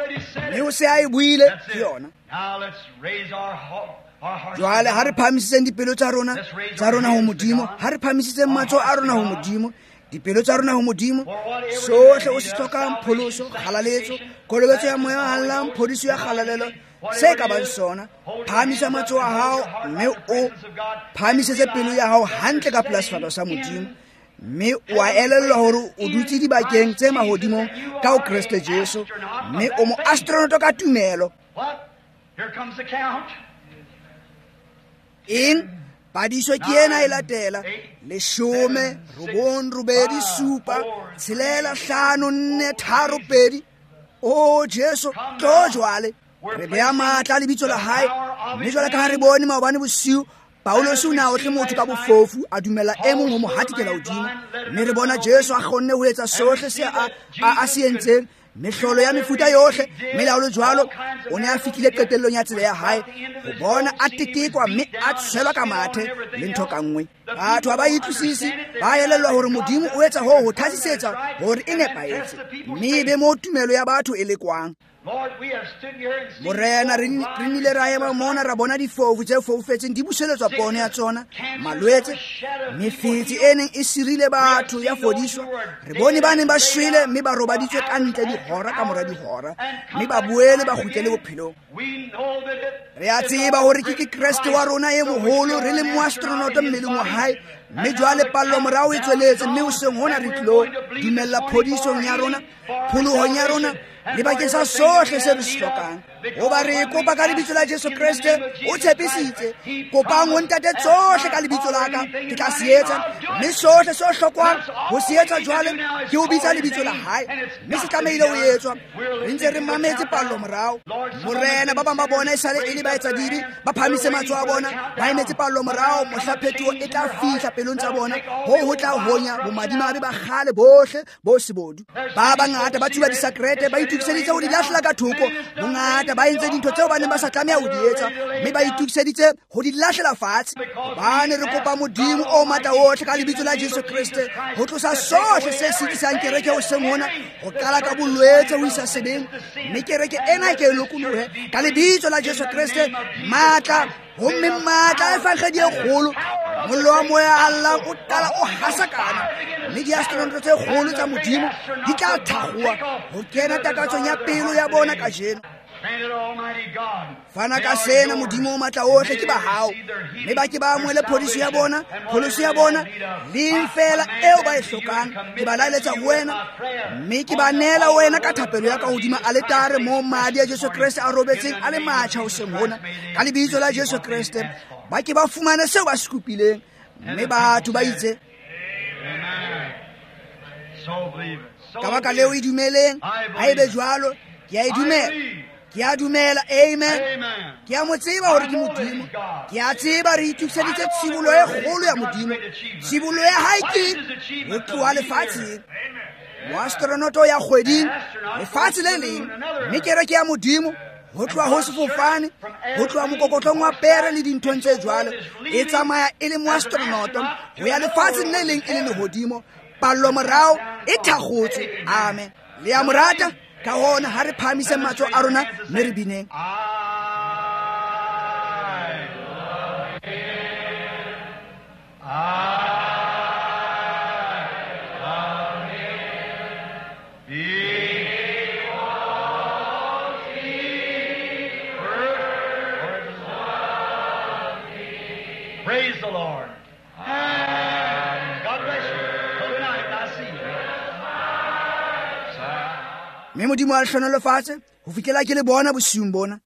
mme o se a e buile, ke yona. Jwale ha re phahamisitseng dipelo tsa rona, tsa rona ho Modimo, ha re phahamisitseng matsoho a rona ho Modimo, dipelo tsa rona ho Modimo, sohle o se hlokang, pholoso, kgalaletso, kolobetso ya moya o hallang, phodiso ya kgalalelo, se ka bang sona, phahamisa matsoho a hao, mme o phahamisetse pelo ya hao hantle ka pela sefahleho sa Modimo, mme o a elellwa hore o dutse dibakeng tse mahodimong ka ho Kreste Jesu, mme o mo astronaut ka tumelo. Eng? Padiso ke ena e latela. Leshome, robong, robedi, supa, tshelela, hlano, nne, tharo, pedi. O Jesu, tlo jwale. Re beha matla lebitso la hae. Mme jwale ka ha re bone maobane bosiu, Paulus o ne a otle motho ka bofofu, a dumela e mong ho mo hatikela hodimo. Mme re bona Jesu a kgonne ho etsa sohle se a, a, a se entseng. Mehlolo ya mefuta yohle, melao le jwalo, o ne a fihlile qetellong ya tsela ya hae ho bona a tetekwa mme a tshelwa ka mathe le ntho ka nngwe. Batho ha ba utlwisise, ba elellwa hore Modimo o etsa hoo ho thasisetsa hore e nepahetse, mme e be moo tumelo ya batho e lekwang. Morena, re nnile ra ema mona ra bona difofu tse foufetseng di buseletswa pono ya tsona, malwetse, mefetse e neng e sirile batho ya fodiswa. Re bone ba neng ba shwele mme ba robaditswe ka ntle dihora ka mora dihora, mme ba boele ba kgutlele bophelong. Re a tseba hore ke ke Kreste wa rona e moholo, re le moastronoto mmeleng wa hae, mme jwale pallo morao e tsweletse, mme hoseng hona re tlilo dumella phodisong ya rona, pholohong ya rona, le bakeng sa sohle se re se hlokang. Hoba re kopa ka lebitso la Jesu Kreste, o tshepisitse, kopang ho Ntate tsohle ka lebitso la ka, ke tla se etsa. Mme sohle se hlokwang ho se etsa jwale ke ho bitsa lebitso la hae, mme se tlamehile ho etswa. Re ntse re mametse pallo morao. Morena, ba bang ba bona esale e le baetsadibe, ba phahamise matsoho a bona, ba emetse pallo morao mohla phetoho e tla fihla pelong tsa bona, hoo ho tla honya bomadimabe ba kgale bohle bo sebodu. Ba bangata ba tsuba disakrete, ba itokiseditse ho di lahlela ka thoko. Bongata ba entse dintho tseo ba neng ba sa tlameha ho di etsa, mme ba itokiseditse ho di lahlela fatshe. Hobane re kopa Modimo o matla ohle ka lebitso la Jesu Kreste ho tlosa sohle se sitisang kereke hoseng hona, ho qala ka bolwetse ho isa sebeng, mme kereke ena e ke e lokolohe ka lebitso la Jesu Kreste. Matla, homme matla a evangedi e kgolo, mollo wa moya a llang o qala o hasakana, mme diastronoto tse kgolo tsa Modimo di tla thakgoha ho kena takatsong ya pelo ya bona kajeno. Fana ka sena, Modimo o matla ohle, ke ba hao, mme ba ke ba amohele phodiso ya bona, pholoso ya bona, leng feela eo ba e hlokang. Ke ba laeletsa ho wena, mme ke ba neela wena ka thapelo ya ka hodima aletare moo madi a Jesu Kreste a robetseng a le matjha hoseng hona. Ka lebitso la Jesu Kreste, ba ke ba fumane seo ba se kopileng. Mme batho ba itse, ka baka leo e dumeleng, ha ebe jwalo, ke a e dumela. Ke a dumela, amen. Ke a mo tseba hore ke Modimo. Ke a tseba re itokiseditse tshibolo e kgolo ya Modimo. Tshibolo ya hae ke ho tloha lefatsheng. Moastronoto ya kgweding, lefatshe le leng, mme kereke ya Modimo ho tloha ho sefofane, ho tloha mokokotlong wa pere le dinthong tse jwalo, e tsamaya e le moastronoto ho ya lefatsheng le leng e le lehodimo. Pallo morao e thakgotswe. Amen. Le a mo rata? Ka hona ha re phahamiseng matsoho a rona mme re bineng. Praise the Lord. God bless you. Good night. I see you. Mme Modimo a le hlohonolofatse ho fihlela ke le bona bosiung bona.